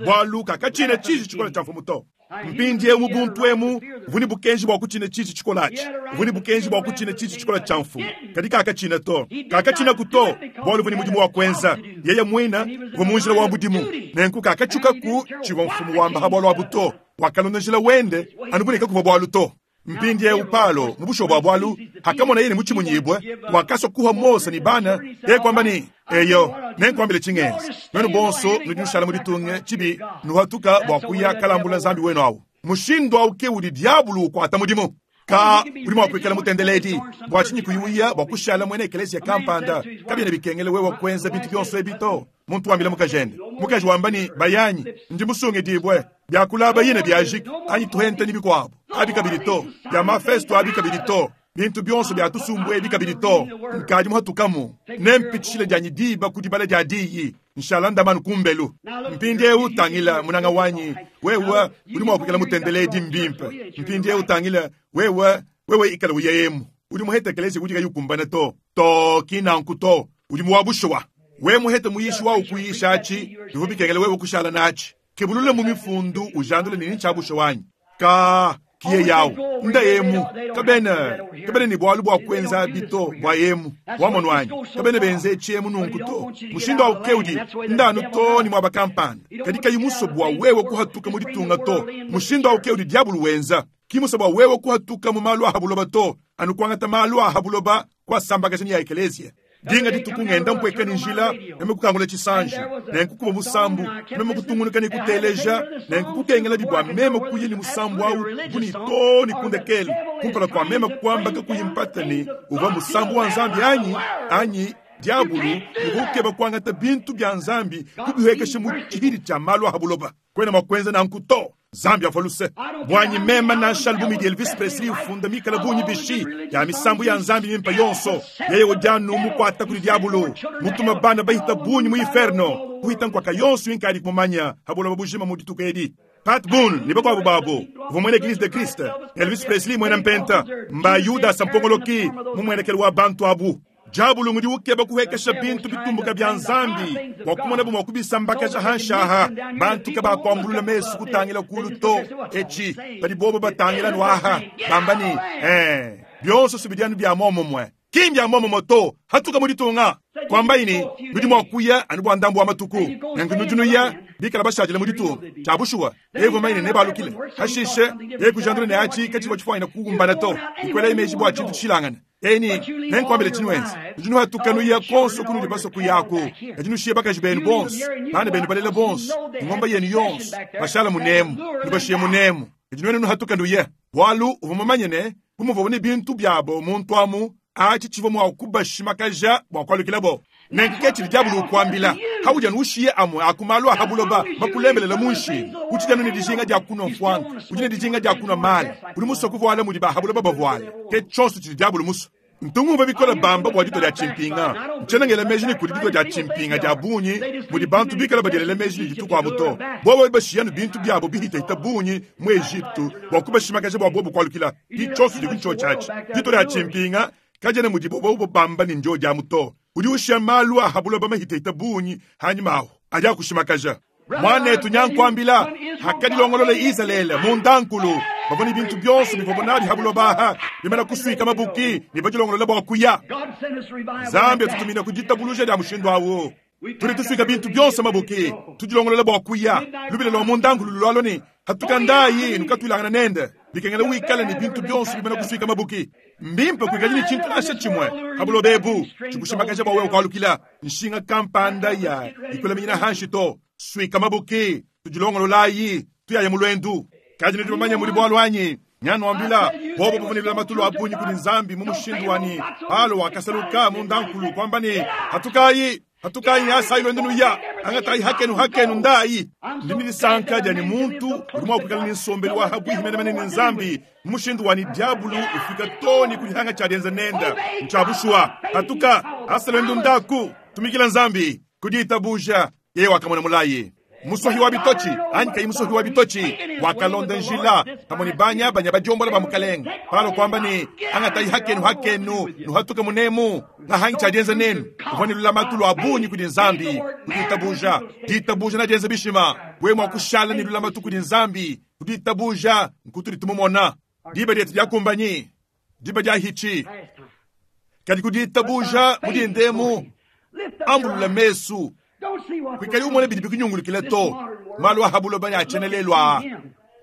bualu kakatshina tshiji tshikole tshia mfumu to. Mpindieu mu buntu emu uvua ne bukenji bua kutshina tshiji tshikole atshi, uvua ne bukenji bua kutshina tshiji tshikole tshia mfumu, kadi kakatshina to. Kakatshinaku to, bualu uvua ne mudimu wa kuenza. Yeye muine uvua mu njila wa mudimu, nenku kakatshiukaku tshivua mfumu wamba ha bualu abu to. Wakalonda njila wende anu bu ne kakuvua bualu to. Mpindieu Palo, mu bushuwa bua bualu, hakamoneye ne mutshimunyibue, wakasua kuha Mose ne bana, yeye kuamba ne, Eyo, nenkuambile tshingenza. Nuenu bonso nudi nushala mu ditunga tshibi nuhatuka bua kuya kalambula nzambi wenu au. Mushindu au ke udi diabulu ukuata mudimu. Ka udi mua kuikala mutendeledi, bua tshinyi kuyi uya bua kushala muena ekeleziya kampanda? Kabiena bikengela wewe kuenza bintu bionso ebi to. Muntu wambila mukajende. Mukaji wamba ne, Bayanyi, ndi musungidibue. Bia kulaba yine biajiki, anyi tuhente ne bikuabu. Abi kabidi to. Bia mafesto abi kabidi to. Bintu bionso bia tusumbu ebi kabidi to. Nkadi muhatukamu. Nempitshishile dianyi diba ku dibala dia diyi. Nshala ndamanu kumbelu. Mpindieu tangila munanga wanyi, wewe udi mua kuikala mutendeledi mbimpe. Mpindieu tangila wewe, wewe ikala uyeyemu. Udi muhete ekelezia udi kayi ukumbana to. To kinanku to. Udi muwabushuwa. We muhete muyishi wa ukuyisha achi, bivua bikengela wewe kushala nachi. Kebulule mu mifundu ujandule nini tshiabusha wanyi. Ka kiye yawu nda yemu kabena kabena ni bwalu bwa kwenza bito bwa yemu wamono wanyi kabena benze chiemu nunku to mushindo wa keudi ndanu to ni mwaba kampanda kadi kayi muso bwa wewe kuhatuka mu ditunga to mushindo wa keudi diabulu wenza kimuso bwa wewe kuhatuka mu malu ahabuloba to anu kwangata malu ahabuloba kwa sambakaja ya ekelesia dinga dituku ngenda mpweka ni njila meme kukangula chisanji nenkukuba musambu meme kutungunuka ni kuteleja nenkukukengela bibwa meme kuye ni musambu au kuni to ni kundekele kumpala kwa meme kwamba kakuyimpata ni uva musambu wa nzambi anyi anyi diabulu ukukeba kwangata bintu bya nzambi kubihekesha mu chihiri cha malu ahabuloba kwena makwenza nankuto Zambia faluse bwanyi mema na shalbumi di Elvis Presley ufunda mikala bunyi bishi ya misambu ya nzambi mimpa yonso yeye ojanu mukwata kuli diabulu mutuma bana bahita bunyi mu inferno kuhita nkwaka yonso inkali kumanya habula babujima mu dituku edi Pat Boone ni bakwabo babo uva mwene Eglise de Christ Elvis Presley mwena mpenta mba Yuda sampongoloki mumwenekelo wa bantu abu diabulu ngudi ukeba kuhekesha bintu bitumbuka bya nzambi wakumona bumwa kubisambakaja hanshaha bantu kabakwambulula mesu kutangila kulu to echi badi bobo batangila nwaha bambani byonso subidyanu bya momomwe kimbya momomo to hatuka muditunga kwamba ini nudi mwakuya anu bwa ndambu wa matuku nangu nujunuya bikala bashajile muditunga chabushuwa evo maine ne balukile hashishe yekujandule ne achi kachiwa chifwaina kugumbana to ikwela imeji bwa chintu chilangana eni nenkwambile chinwenzi jinu hatukanuya konso kunudi baso kuyako ajinushiye bakaji benu bonso bana benu balela bonso ngomba yenu yonso bashala munemu nubashiye munemu ejinu wenu hatukanuye bwalu uvumamanyene kumuvobone bintu byabo muntu amu achi chivo mwa kubashimakaja bwa kwalukilabo nenkukechili diabulu ukwambila hauja nushiye amwe akumalwa habuloba makulembelela munshi uchijanu ni dijinga dia kunwa mfwanga ujine dijinga dia kunwa mali uli muso kuvoala mudi ba habuloba bavoala ke chonso chili diabulu muso ntungumva bikola bamba bwa dito dia chimpinga nchenangela meji ni kuli dito dia chimpinga dia bunyi mudi bantu bikala badielela meji ni dituku abo to bobo bashiyanu bintu byabo bihitahita bunyi mu Egipto bwa kubashimakaja bwa bobo kwalukila dichonso dikuncho chachi dito dia chimpinga kajene mudi bobo bamba ni njo dia muto udi ushiya malu ahabuloba mahitahita bunyi hanyuma aho aja kushimakaja mwanetu nyankwambila hakadilongolole Israele mundankulu bavoni bintu byonso bivobonali habulobaha bimana kuswika mabuki nibajilongolola bwakuya Zambia tutumina kujitabuluja lya mushindu awo tuli tuswika bintu byonso mabuki tujilongolola bwakuya lubile lwa mundankulu lwaloni hatukandayi nukatwilangana nende bikengela wikala ni bintu byonso bimana kuswika mabuki mbimpe kwikali ni chintu nasha chimwe habulobebu chikushimakaja bwawe ukwalukila nshinga kampanda ya ikulaminyina hanshi to swika mabuki tujilongololayi tuyaya mulwendu kaji nitubamanya muli bwalwanyi nyanwambila bobo buvunilila matulu abunyi kuli nzambi mu mushindu wani palo wakasaluka mundankulu kwamba ni hatukayi hatukayi asayi lwendu nuya angatayi hakenu hakenu ndayi ndinilisanka jani muntu uli mwakwikala ni nsombeli wa habwihi menemene ni nzambi mu mushindu wani diabulu ufika toni kulihanga chalienza nenda nchabushwa hatuka asa lwendu ndaku tumikila nzambi kudiitabuja yeye wakamona mulayi musohi wa bitochi anyi kayi musohi wa bitochi wakalonda njila pamwe ni banya banya bajombola ba mukalenga palo kwamba ni angatayi hakenu hakenu nuhatuke munemu na hangi chadienza nenu uvoni lulamatu lwa bunyi kudi nzambi kuditabuja ditabuja na dienza bishima we mwakushala ni lulamatu kudi nzambi kuditabuja nkutuli tumumona diba dietu diakumbanyi diba dia hichi kadi kuditabuja mudindemu ambulula mesu kwikali umone bidi bikunyungulukile to malu ahabulo bani achenelelwa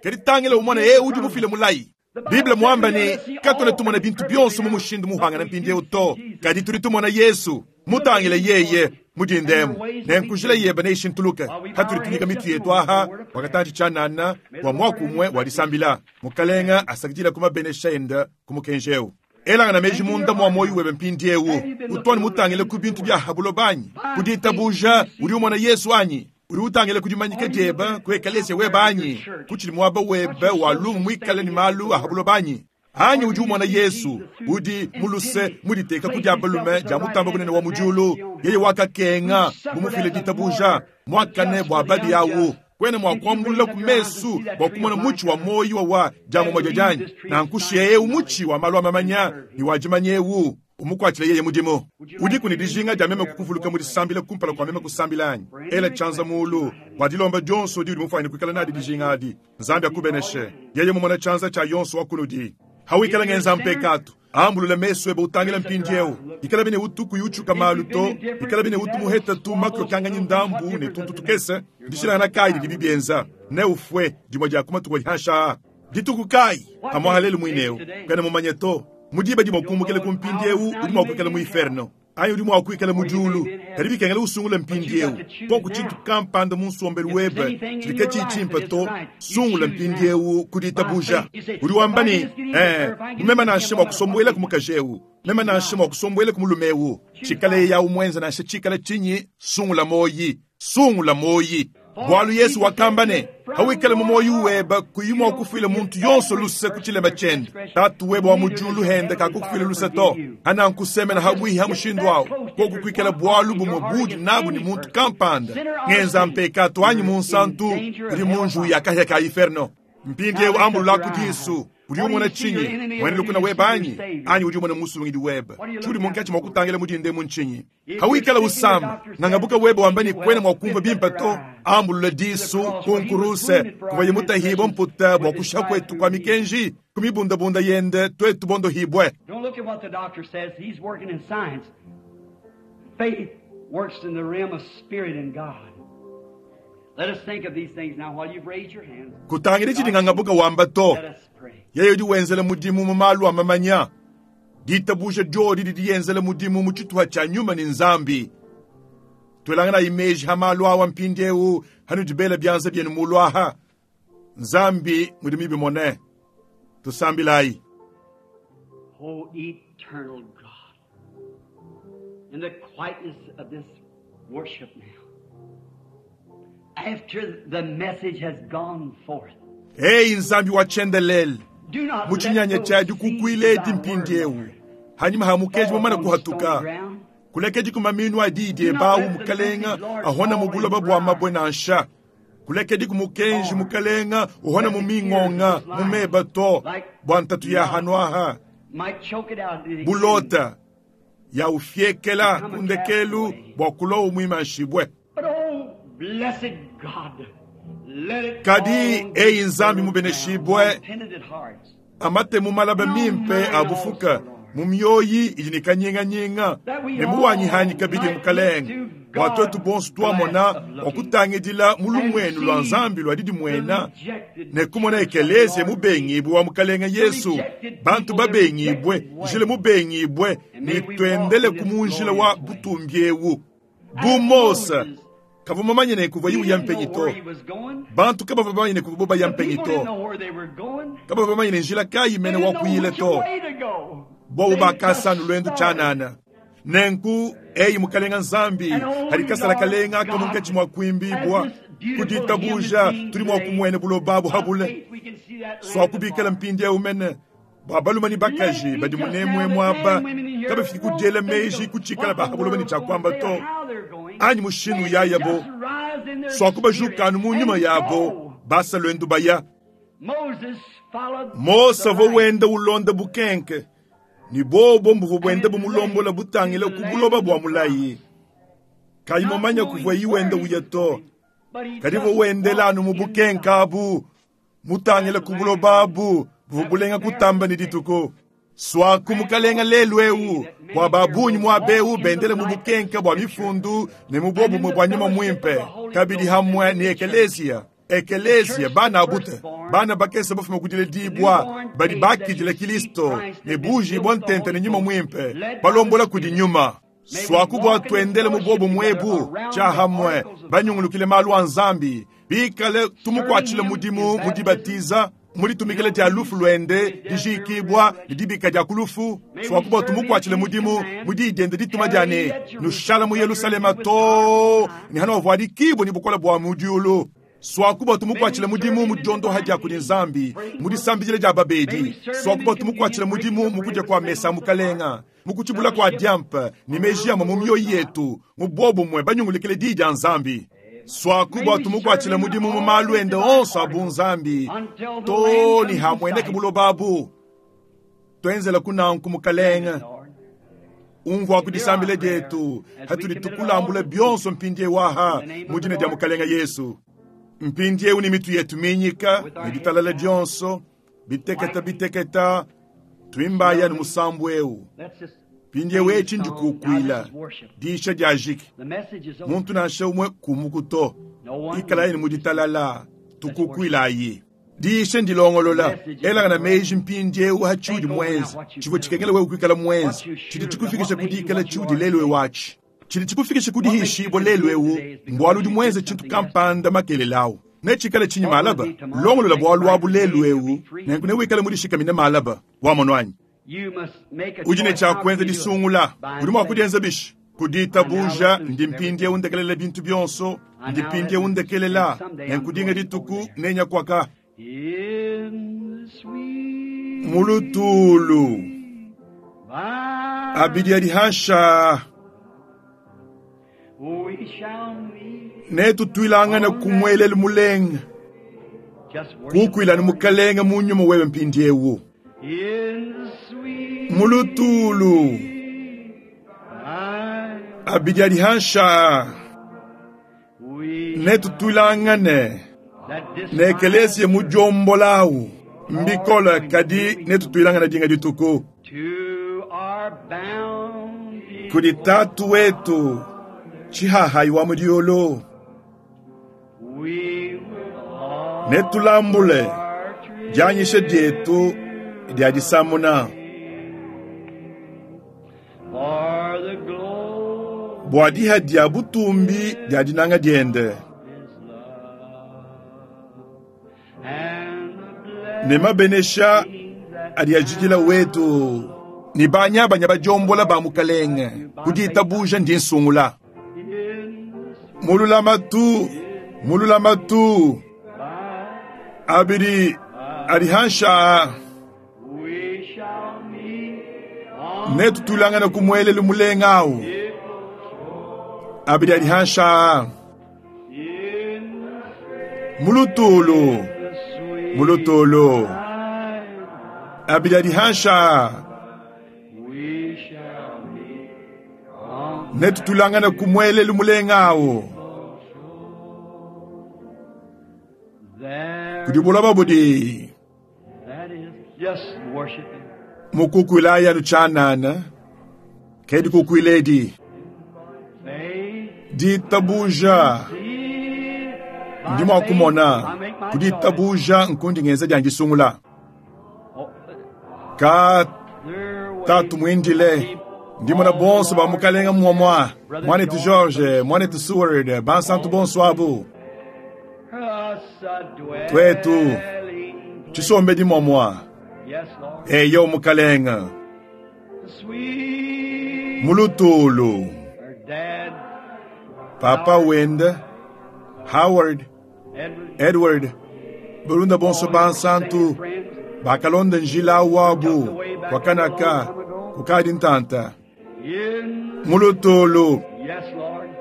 kadi tangela umone ye udi mufile mulayi Biblia mwamba ni katone tumona bintu byonso mu mushindu muhangana mpindieu to kadi tuli tumona Yesu mutangile yeye mudindemu nenkujila yeba neishintuluka hatuli tunika mitu yetu aha wakatanji chanana wa mwakumwe walisambila mukalenga asakidila kumabenesha enda kumukenjeu. Elangana meji munda mua muoyo webe mpindieu. Utu anu mutangile ku bintu bia ha buloba anyi? Ku ditabuja udi umona Yesu anyi? Udi utangila ku dimanyika diebe ku ekaleziya webe anyi? Ku tshidi muaba webe wa lumu muikale ne malu a ha buloba anyi? Anyi udi umona Yesu udi mu luse muditeka ku dia balume dia Mutambe Bunene wa mu diulu, yeye wakakenga bu mufile ditabuja muakane bua babi awu? Kuena mua kuambulula ku mesu bua kumona mutshi wa muoyo wa dia mumue dianyi? Nanku shiya eu mutshi wa malu a mamanya ne wa dimanya eu, umukuatshile yeye mudimu. Udiku ne dijinga dia meme kukuvuluka mu disambila kumpala kua meme kusambila anyi? Ela tshianza muulu bua dilomba dionso diudi mufuanyine kuikala nadi dijinga adi. Nzambi akubeneshe. Yeye mumona tshianza tshia yonso wa kunudi. Hawikala ngenza mpekatu, ambulula mesu ebe utangila mpindieu. Ikala bine utu kuyi utshuka malu to, ikala bine utu muheta tu makokanganyi ndambu ne tuntu tukese. Ndishilangana kayi didi bibienza? Neufue dimue dia ku matuku adi hanshi aa. Dituku kayi? Pamuapa lelu muine eu. Kuena mumanye to. Mu diba dimue kumbukila ku mpindieu udi mua kuikala mu inferno anyi udi mua kuikala mu diulu. Kadi bikengela usungule mpindieu. Koku tshintu kampanda mu nsombelu webe tshidi katshiyi tshimpe to, sungula mpindieu ku ditabuja. Udi wamba ne, Ee, bu meme nansha mua kusombuela ku mukaji eu, meme nansha mua kusombuela ku mulume eu. Tshikala yeye au muenze nansha tshikala tshinyi, sungula muoyi. Sungula muoyi. Bualu Yesu wakamba ne, Hawikala mu muoyo webe kuyi mua kufuila muntu yonso luse ku tshilema tshiende, Tatu webe wa mu diulu hende kakukufuila luse to. Hanankusemena habuihi ha mushindu au, koku kuikala bualu bumue budi nabu ne muntu kampanda, ngenza mpekatu anyi munsantu, udi mu njiwu ya kahia ka inferno. Mpindieu ambululaku disu. Udi umona tshinyi? Muena lukuna webe anyi? Anyi udi umona musungidi webe? Tshiudi munkatshi mua kutangila mu dinda emu ntshinyi? Hawikala usama, ngangabuka webe wamba ne kuena mua kumvua bimpe to, ambulula disu ku nkuruse kuvuaye mutahibue mputa bua kushiha kuetu kua mikenji, ku mibundabunda yende tuetu bondohibue. Don't look at what the doctor says. He's working in science. Faith works in the realm of spirit and God. Let us think of these things now while you've raised your hands. Kutangidi tshidi ngangabuka wamba to. Let us pray. Yeye udi wenzela mudimu mu malu a mamanya. Ditabuja diodi didi dienzela mudimu mu tshituha tshia nyuma ne Nzambi. Tuelanganayi meji ha malu awa mpindieu hanudi bela bianza bienu mulu aha. Nzambi mudi mibimone. Tusambilayi. O eternal God, in the quietness of this worship now, after the message has gone forth, Eyi Nzambi wa tshiendelele, do not mu let tshinyanya those tshia seeds dikukuila of edi thy word, mpindieu Lord, hanyuma ha mukeji fall mumana on kuhatuka stony ground. kulekedi ku maminu a diyi diebawu mukalenga ahona mu buloba bua mabue nansha. Kulekedi ku mukenji mukalenga uhona mu mingonga mu meba to bua ntatu ya hanu aha. Might choke it out. at the Bulota ya ufiekela ku ndekelu bua kulowa muimanshibue. But oh, blessed God, let it Kadi, fall on eyi these Nzambi fertile mubeneshibue, ground, on penitent hearts, amate mu malaba mimpe a bufuka mu mioyi idi ne kanyinganyinga ne muwanyihanyi kabidi mukalenge bua tuetu bonso tuamona bua kutangidila mu lumuenu lua Nzambi lua didimuena ne kumona ekeleziya mubengibue wa mukalenge Yesu, bantu babengibue, njila mubengibue, ne tuendele ku mu njila wa butumbi eu. Bu Mose kavua mumanye ne kuvua He yiuya didn't mpenyi know to. where he was going. Bantu kabavua bamanye ne kuvua baya The mpenyi people didn't to. know where they were going. Kabavua bamanye ne njila kayi They mene wa didn't know kuyila which to. way to go. Bobu They bakasa just lwendu started. tshianana. Nenku eyi mukalenga Nzambi hadi kasala kalenga kamunkatshi mua kuimbibua ku ditabuja tudi mua kumuena buloba abu habule. Swakubikala mpindieu mene bua balume ne bakaji badi munemue muaba kabafiki kudiela meji kutshikala bahabuloba ne tshiakuamba to anyi mushindu yayabo swakubajukanu mu nyuma yabo basa lwendu baya. Mose uvua wenda ulonda bukenke ni bobo mbuvu bwenda bumulombola butangila ku buloba bua mulayi. Kayi mumanya kuvua yi wenda uya to, kadi uvua wendela anu mu bukenke abu mutangila ku buloba abu buvua bulenga kutamba ne dituku. Swaku mukalenga lelu eu bua babunyi muaba eu bendele mu bukenke bua mifundu ne mu bobumue bua nyuma muimpe kabidi hamwe ne ekeleziya. Ekeleziya bana abute bana bakese bafuma kudila dibwa badi bakidila Kristo ne buji bwa ntente ne nyuma muimpe balombola kudi nyuma. Swaku bua tuendele mu bobu muebu tshiahamwe banyungulukile malu a Nzambi bikale tumukuatshile mudimu mu dibatiza Mu ditumikila dia lufu luende, dijiikibua ne dibika dia ku lufu, suaku bua tumukuatshile mudimu mu diyi diende dituma dia ne, Nushala mu Yelushalema too ne hanuavuadikibua ne bukole bua mu diulu. Suaku bua tumukuatshile mudimu mu diondoha dia kudi Nzambi, mu disambidila dia babedi. Suaku bua tumukuatshile mudimu mu kudia kua mesa a Mukalenga, mu kutshibula kua diampa ne meji amue mu mioyo yetu, mu buobumue banyungulukile Diyi dia Nzambi. Suaku bua tumukuatshile mudimu mu malu ende onso a bunzambi, too ne hamueneke buloba abu. Tuenzelaku nanku, Mukalenge. Umvuaku disambila dietu hatudi tukulambula bionso mpindieu aha mu dina dia Mukalenge Yesu. Mpindieu ne mitu yetu minyika ne ditalala dionso, biteketa biteketa, tuimbayi anu musambu eu. Mpindieu etshi ndikukuila diisha diajiki. Muntu nansha umue kumuku to. Ikalayi ne mu ditalala, tukukuilayi. Diisha ndilongolola. Elangana meji mpindieu ha tshiudi muenze, tshivua tshikengela wewe kuikala muenze, tshidi tshikufikisha ku dikala tshiudi lelu eu atshi. Tshidi tshikufikisha ku dihishibua lelu eu mbualu udi muenze tshintu kampanda makelela au. Netshikale tshinyi malaba? Longolola bualu abu lelu eu, nenku newikale mudishikamine malaba. Wamonu anyi? Udi ne tshia kuenza disungula. Udi mua kudienza bishi? Ku ditabuja ndi mpindieu ndekelela bintu bionso, ndi mpindieu ndekelela, nenku dinga dituku nenya kuaka. Mu lutulu abidi adi hansha netutuilangane ku muelelu mulenga, kukuilane Mukalenge mu nyuma wewe mpindieu. Mu lutulu abidi adi hansha netutuilangane ne ekeleziya mudiombola mbikola kadi netutuilangane dinga dituku kudi tatu wetu tshihahayi wa mu diulu netulambule dianyisha dietu dia disamuna bua diha dia butumbi dia dinanga diende ne mabenesha adi ajidila wetu ne banyabanya badiombola ba mukalenge ku ditabuja ndi nsungula mu lulamatu mu lulamatu abidi adi hansha netutulangane ku muelelu mulenga awu abidi adi hansha mu lutulu mu lutulu abidi adi hansha netutulangane ku muelelu mulenga awu kudi buloba budi mukukuilayi anu tshianana ke dikukuila edi ditabuja ndi mua kumona ku ditabuja nkundi ngenza dia ndisungula ka tatu muindile ndi mona bonso ba mukalenga muamua mwanetu George mwanetu Seward bansantu bonso abu twetu tshisombedi muamua eyo mukalenga mulutulu papa wende Howard Edward balunda bonso bansantu bakalonda njila wabu wakanaka kukadi ntanta mulutulu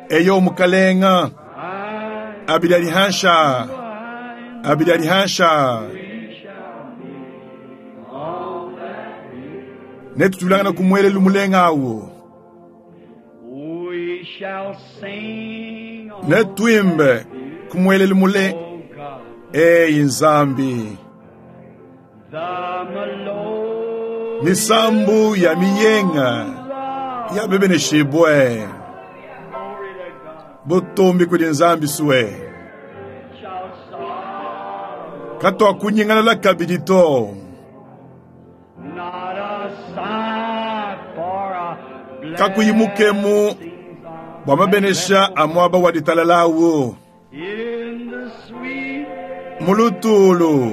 eyo mukalenga abidi adi hansha abidi adi hansha netutulangana ku muelelu mulenga awu netuimbe ku muelelu mule eyi Nzambi misambu ya miyenga ya bebeneshibwe butumbi kudi Nzambi suwe katwakunyingalala kabidi to kakuyi mukemu bua mabenesha a muaba wa ditalalawu mulutulu.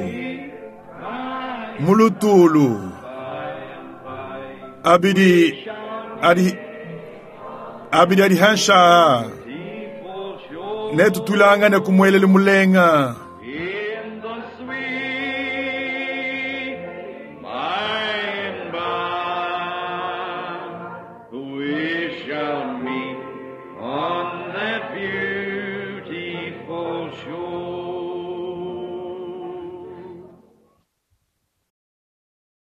Mu lutulu. Abidi adi abidi adi hanshi aa. Netutulangane ku muelelu mulenga.